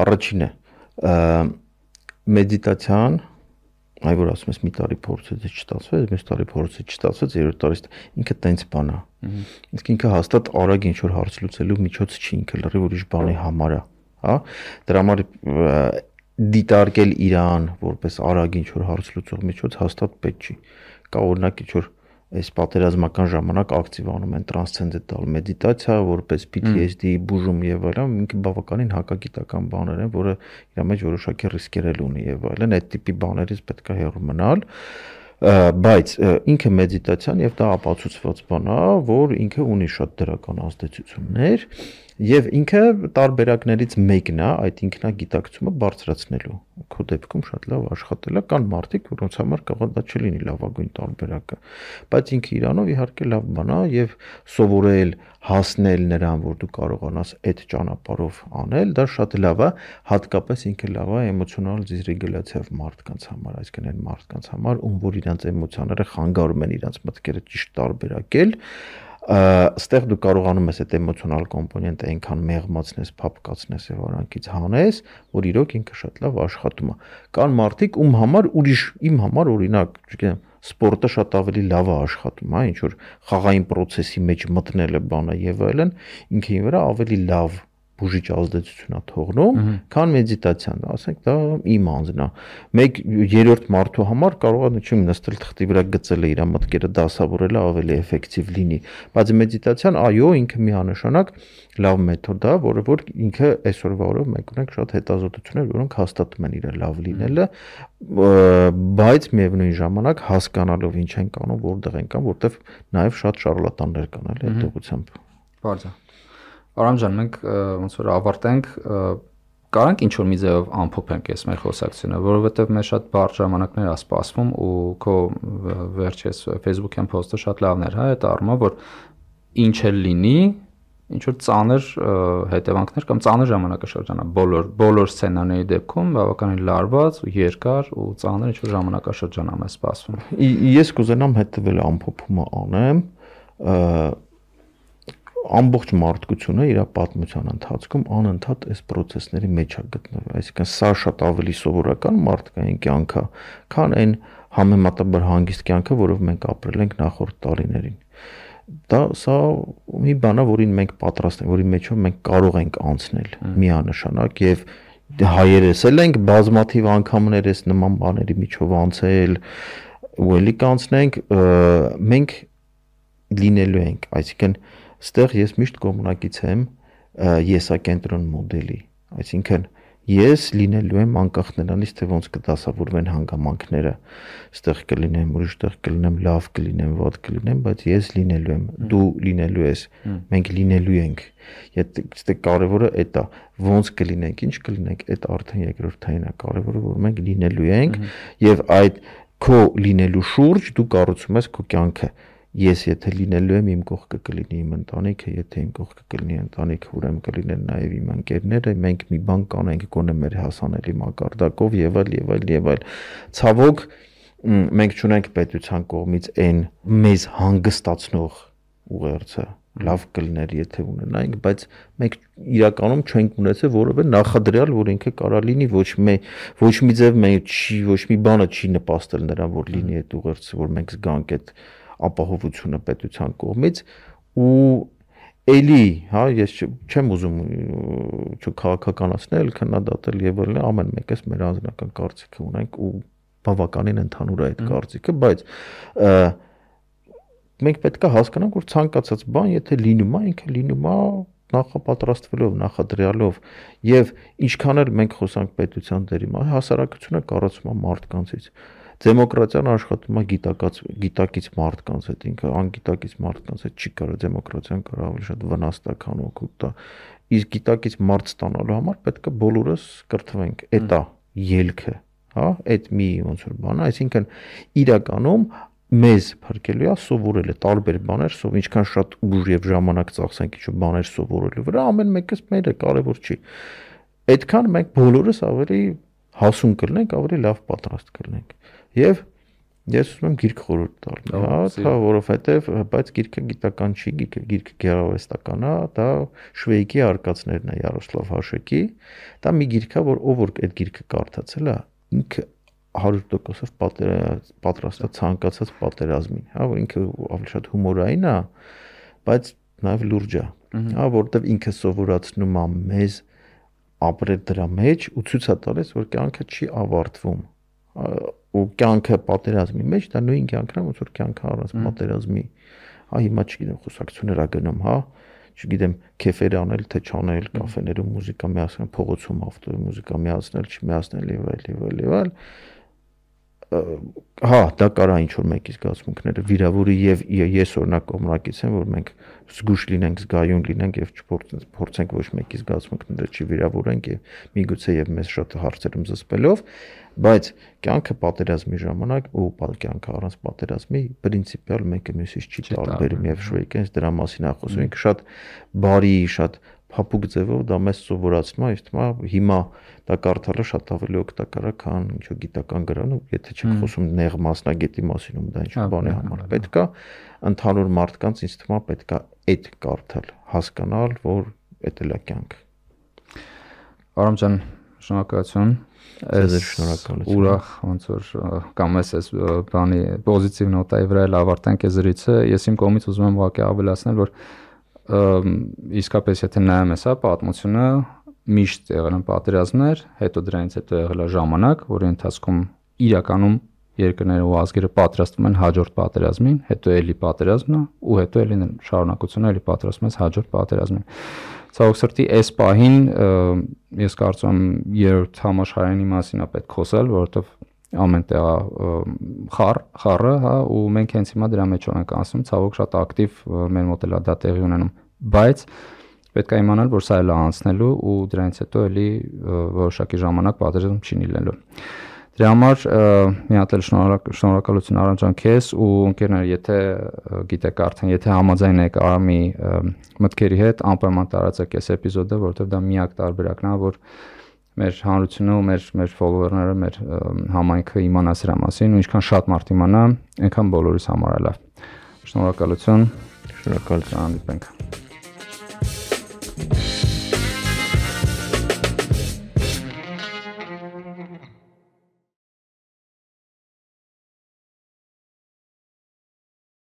Speaker 1: Առաջինը մեդիտացիան, այ որ ասում ես մի տարի փորձեց չստացվեց, մյուս տարի փորձեց չստացվեց, երրորդ տարի ինքը տենց բան է։ Իսկ ինքը հաստատ արագ ինչ որ հարց լուծելու միջոց չի, ինքը լրիվ ուրիշ բանի համար է, հա։ Դրա համար դիտարկել իրան որպես արագ ինչ որ հարց լուծող միջոց հաստատ պետք չի։ Կա օրինակ ինչ որ այս պատերազմական ժամանակ ակտիվանում են տրանսցենդենտալ մեդիտացիա, որպես P T S D բուժում եւ այլն, ինքը բավականին հակագիտական բաներ են, որը իր մեջ որոշակի ռիսկեր ունի եւ այլն, այդ տիպի բաներից պետք է հեռու մնալ, բայց ինքը մեդիտացիան եւ դա ապացուցված բան է, որ ինքը ունի շատ դրական ազդեցություններ եւ ինքը տարբերակներից մեկն է այդ ինքնագիտակցումը բարձրացնելու։ Քո դեպքում շատ լավ աշխատել է, կան մարդիկ, որոնց համար կարող է դա չլինի լավագույն տարբերակը, բայց ինքը իրանով իհարկե լավ բան է եւ սովորել հասնել նրան, որ դու կարողանաս այդ ճանապարհով անել, դա շատ լավ է, հատկապես ինքը լավ է էմոցիոնալ դիսրեգուլյացիայով մարդկանց համար, այսինքն այն մարդկանց համար, ում որ իրանց էմոցիաները խանգարում են իրանց մտքերը ճիշտ տարբերակել, այստեղ դու կարողանում ես այդ էմոցիոնալ կոմպոնենտը այնքան մեղմացնես, փափկացնես եւ արանքից հանես, որ իրոք ինքը շատ լավ աշխատում է։ Կան մարդիկ, ում համար ուրիշ, իմ համար օրինակ, չգիտեմ, սպորտը շատ ավելի լավ է աշխատում, հա, ինչ որ խաղային process-ի մեջ մտնելը բանը եւ այլն, ինքին վրա ավելի լավ բուժիչ ազդեցություն է թողնում, քան մեդիտացիան, ասենք դա իմ անձն է։ Մեկ երրորդ մարդու համար կարող է չեմ նստել թղթի վրա գծել իր մտքերը դասավորելը ավելի էֆեկտիվ լինի, բայց մեդիտացիան այո, ինքը միանշանակ լավ մեթոդ է, որը որ ինքը այսօրվա օրով մենք ունենք շատ հետազոտություններ, որոնք հաստատում են իր լավ լինելը, բայց միևնույն ժամանակ հասկանալով ինչ են կանում, որտեղ են կան, որտեղ նաև շատ շարլատաններ կան, էլի այդ ուղղությամբ։
Speaker 2: Բարձր։ Արամ ջան, մենք ոնց որ ավարտենք, կարանք ինչ որ մի ձևով ամփոփենք այս մեր խոսակցությունը, որովհետև մեր շատ բարդ ժամանակներ է սպասվում ու քո վերջերս Facebook-յան post-ը շատ լավն էր, հա, այդ առումով, որ ինչ էլ լինի, ինչ որ ծանր հետևանքներ կամ ծանր ժամանակաշրջան է բոլոր բոլոր սցենարների դեպքում բավականին լարված ու երկար ու ծանր ինչ որ ժամանակաշրջան է մեզ սպասվում։
Speaker 1: Ես կուզենամ հետևել ամփոփումը անեմ, ամբողջ մարդկությունը իր պատմության ընթացքում անընդհատ այս process-ների մեջ է գտնվել, այսինքն սա շատ ավելի սովորական մարդկային կյանք է, քան այն համեմատաբար հանգիստ կյանքը, որով մենք ապրել ենք նախորդ տարիներին։ Դա սա մի բան է, որին մենք պատրաստ ենք, որի մեջով մենք կարող ենք անցնել միանշանակ եւ հայերս էլ ենք բազմաթիվ անգամներ այս նման բաների միջով անցել ու ելի կանցնենք, մենք լինելու ենք, այսինքն Ստեղ ես միշտ կողմնակից եմ եսակենտրոն մոդելի, այսինքն ես լինելու եմ անկախ նրանից, թե ոնց կդասավորվեն հանգամանքները, այստեղ կլինեմ, ուրիշ տեղ կլինեմ, լավ կլինեմ, վատ կլինեմ, բայց ես լինելու եմ, դու լինելու ես, մենք լինելու ենք։ Եթե կարևորը այդ է, ոնց կլինենք, ինչ կլինենք, այդ արդեն երկրորդային է, կարևորը որ մենք լինելու ենք եւ այդ քո լինելու շուրջ դու կառուցում ես քո կյանքը։ Ես եթե լինելու եմ իմ կողքը կլինի իմ ընտանիքը, եթե իմ կողքը կլինի ընտանիքը, ուրեմն կլինեն նաև իմ ընկերները, մենք մի բան կանենք գոնե մեր հասանելի մակարդակով եւ այլ եւ այլ եւ այլ։ Ցավոք մենք չունենք պետության կողմից այն մեզ հանգստացնող ուղերձը, լավ կլիներ եթե ունենայինք, բայց մենք իրականում չենք ունեցել որևէ նախադրյալ, որ ինքը կարա լինի, ոչ մի ոչ մի ձև մենք չի, ոչ մի բանը չի նպաստել նրան, որ լինի այդ ուղերձը, որ մենք զգանք այդ ապահովությունը պետության կողմից ու էլի, հա, ես չեմ ուզում չքաղաքականացնել, քննադատել եւ այլն, ամեն մեկս մեր անձնական կարծիքը ունենք ու բավականին ընդհանուր է այդ կարծիքը, բայց մենք պետք է հասկանանք, որ ցանկացած բան, եթե լինում է, ինքը լինում է նախապատրաստվելով, նախադրյալով եւ ինչքան էլ մենք խոսանք պետության դերի մասին, հասարակությունը կառուցվում է մարդկանցից։ Դեմոկրատիան աշխատում է գիտակից գիտակից մարդկանց հետ, ինքը անգիտակից մարդկանց հետ չի կարող դեմոկրատիան կարող ավելի շատ վնաս տա, քան օգուտ տա։ Իսկ գիտակից մարդ ստանալու համար պետք է բոլորս կրթվենք, այդ է ելքը, հա, այդ մի ոնց որ բան, այսինքն իրականում մեզ փրկելու է սովորելը տարբեր բաներ, սով ինչքան շատ ուժ եւ ժամանակ ծախսենք ինչ բաներ սովորելու վրա, ամեն մեկս մերը կարևոր չի։ Այդքան մենք բոլորս ավելի հասուն կլինենք, ավելի լավ պատրաստ կլինենք։ Եվ ես ուզում եմ գիրք խորհուրդ տալ, հա, դա որովհետեւ բայց գիրքը գիտական չի, գիրքը գիրքը գեղարվեստական է, դա Շվեյկի արկածներն է Յարոսլավ Հաշեկի, դա մի գիրք է, որ ով որ այդ գիրքը կարդացել է, ինքը հարյուր տոկոսով պատրաստ է ցանկացած պատերազմին, հա, որ ինքը ավելի շատ հումորային է, բայց նաև լուրջ է, հա, որովհետեւ ինքը սովորացնում է մեզ ապրել դրա մեջ ու ցույց է տալիս, որ կյանքը չի ավարտվում։ Ու կյանքը պատերազմի մեջ դա նույն կյանքն է, ոնց որ կյանքը առանց պատերազմի։ Հա հիմա չգիտեմ, խոսակցություններ ա գնում, հա, չգիտեմ, քեֆեր անել, թե չանել, կաֆեներում մուզիկա միացնել, փողոցում ավտոյի մուզիկա միացնել, չմիացնել եւ այլ եւ այլ եւ այլ։ Հա, դա կարա ինչ որ մեկի զգացմունքները վիրավորի եւ ես օրինակ կողմնակից եմ, որ մենք զգուշ լինենք, զգայուն լինենք եւ չփորձենք ոչ մեկի զգացմունքները չվիրավորենք եւ միգուցե եւ մեզ շատ հարցերում զսպելով, բայց կյանքը պատերազմի ժամանակ ու կյանքը առանց պատերազմի պրինցիպիալ մեկը մյուսից չի տարբերում եւ Շվեյկենս դրա մասին է խոսում, ինքը շատ բարի, շատ փափուկ ձևով դա մեզ սովորացնում է, իսկ հիմա դա կարդալը շատ ավելի օգտակար է, քան ինչ-որ գիտական գրան, եթե չեք խոսում նեղ մասնագետի մասին, ում դա ինչ-որ բանի համար պետք է ընդհանուր մարդկանց ինձ թվում է պետք է այդ կարդալ, հասկանալ, որ այդ էլ է կյանքը։
Speaker 2: Արամ ջան, շնորհակալություն։
Speaker 1: Ես շնորհակալություն։
Speaker 2: Ուրախ ոնց որ կամ էս բանի պոզիտիվ նոտայի վրա էլ ավարտանք այս զրույցը, ես իմ կողմից ուզում եմ ուղղակի ավելացնել, որ իսկապես եթե նայում ես, հա, պատմությունը միշտ եղել են պատերազմներ, հետո դրանից հետո եղել է ժամանակ, որի ընթացքում իրականում երկրները ու ազգերը պատրաստվում են հաջորդ պատերազմին, հետո էլի պատերազմն է ու հետո էլի շարունակությունը էլի պատրաստվում է հաջորդ պատերազմին։ Ցավոք սրտի այս պահին ես կարծում եմ երրորդ համաշխարհային մասին է պետք խոսել, որովհետև ամեն տեղ խառ, խառը, հա, ու մենք հենց հիմա դրա մեջ ենք անցնում, ցավոք շատ ակտիվ մեր մոտ էլ դա տեղի ունենում, բայց պետք է իմանալ, որ սա էլ է անցնելու ու դրանից հետո էլի որոշակի ժամանակ պատերազմ չի լինելու։ Դրա համար մի հատ էլ շնորհակալություն Արամ ջան քեզ ու ընկերներ, եթե գիտեք արդեն, եթե համաձայն եք Արամի մտքերի հետ, անպայման տարածեք այս էպիզոդը, որովհետև դա միակ տարբերակն է, որ մեր հանրությունը ու մեր մեր ֆոլոուերները, մեր համայնքը իմանա սրա մասին ու ինչքան շատ մարդ իմանա, այնքան բոլորիս համար է լավ։ Շնորհակալություն։
Speaker 1: Շնորհակալություն։
Speaker 2: Հանդիպենք։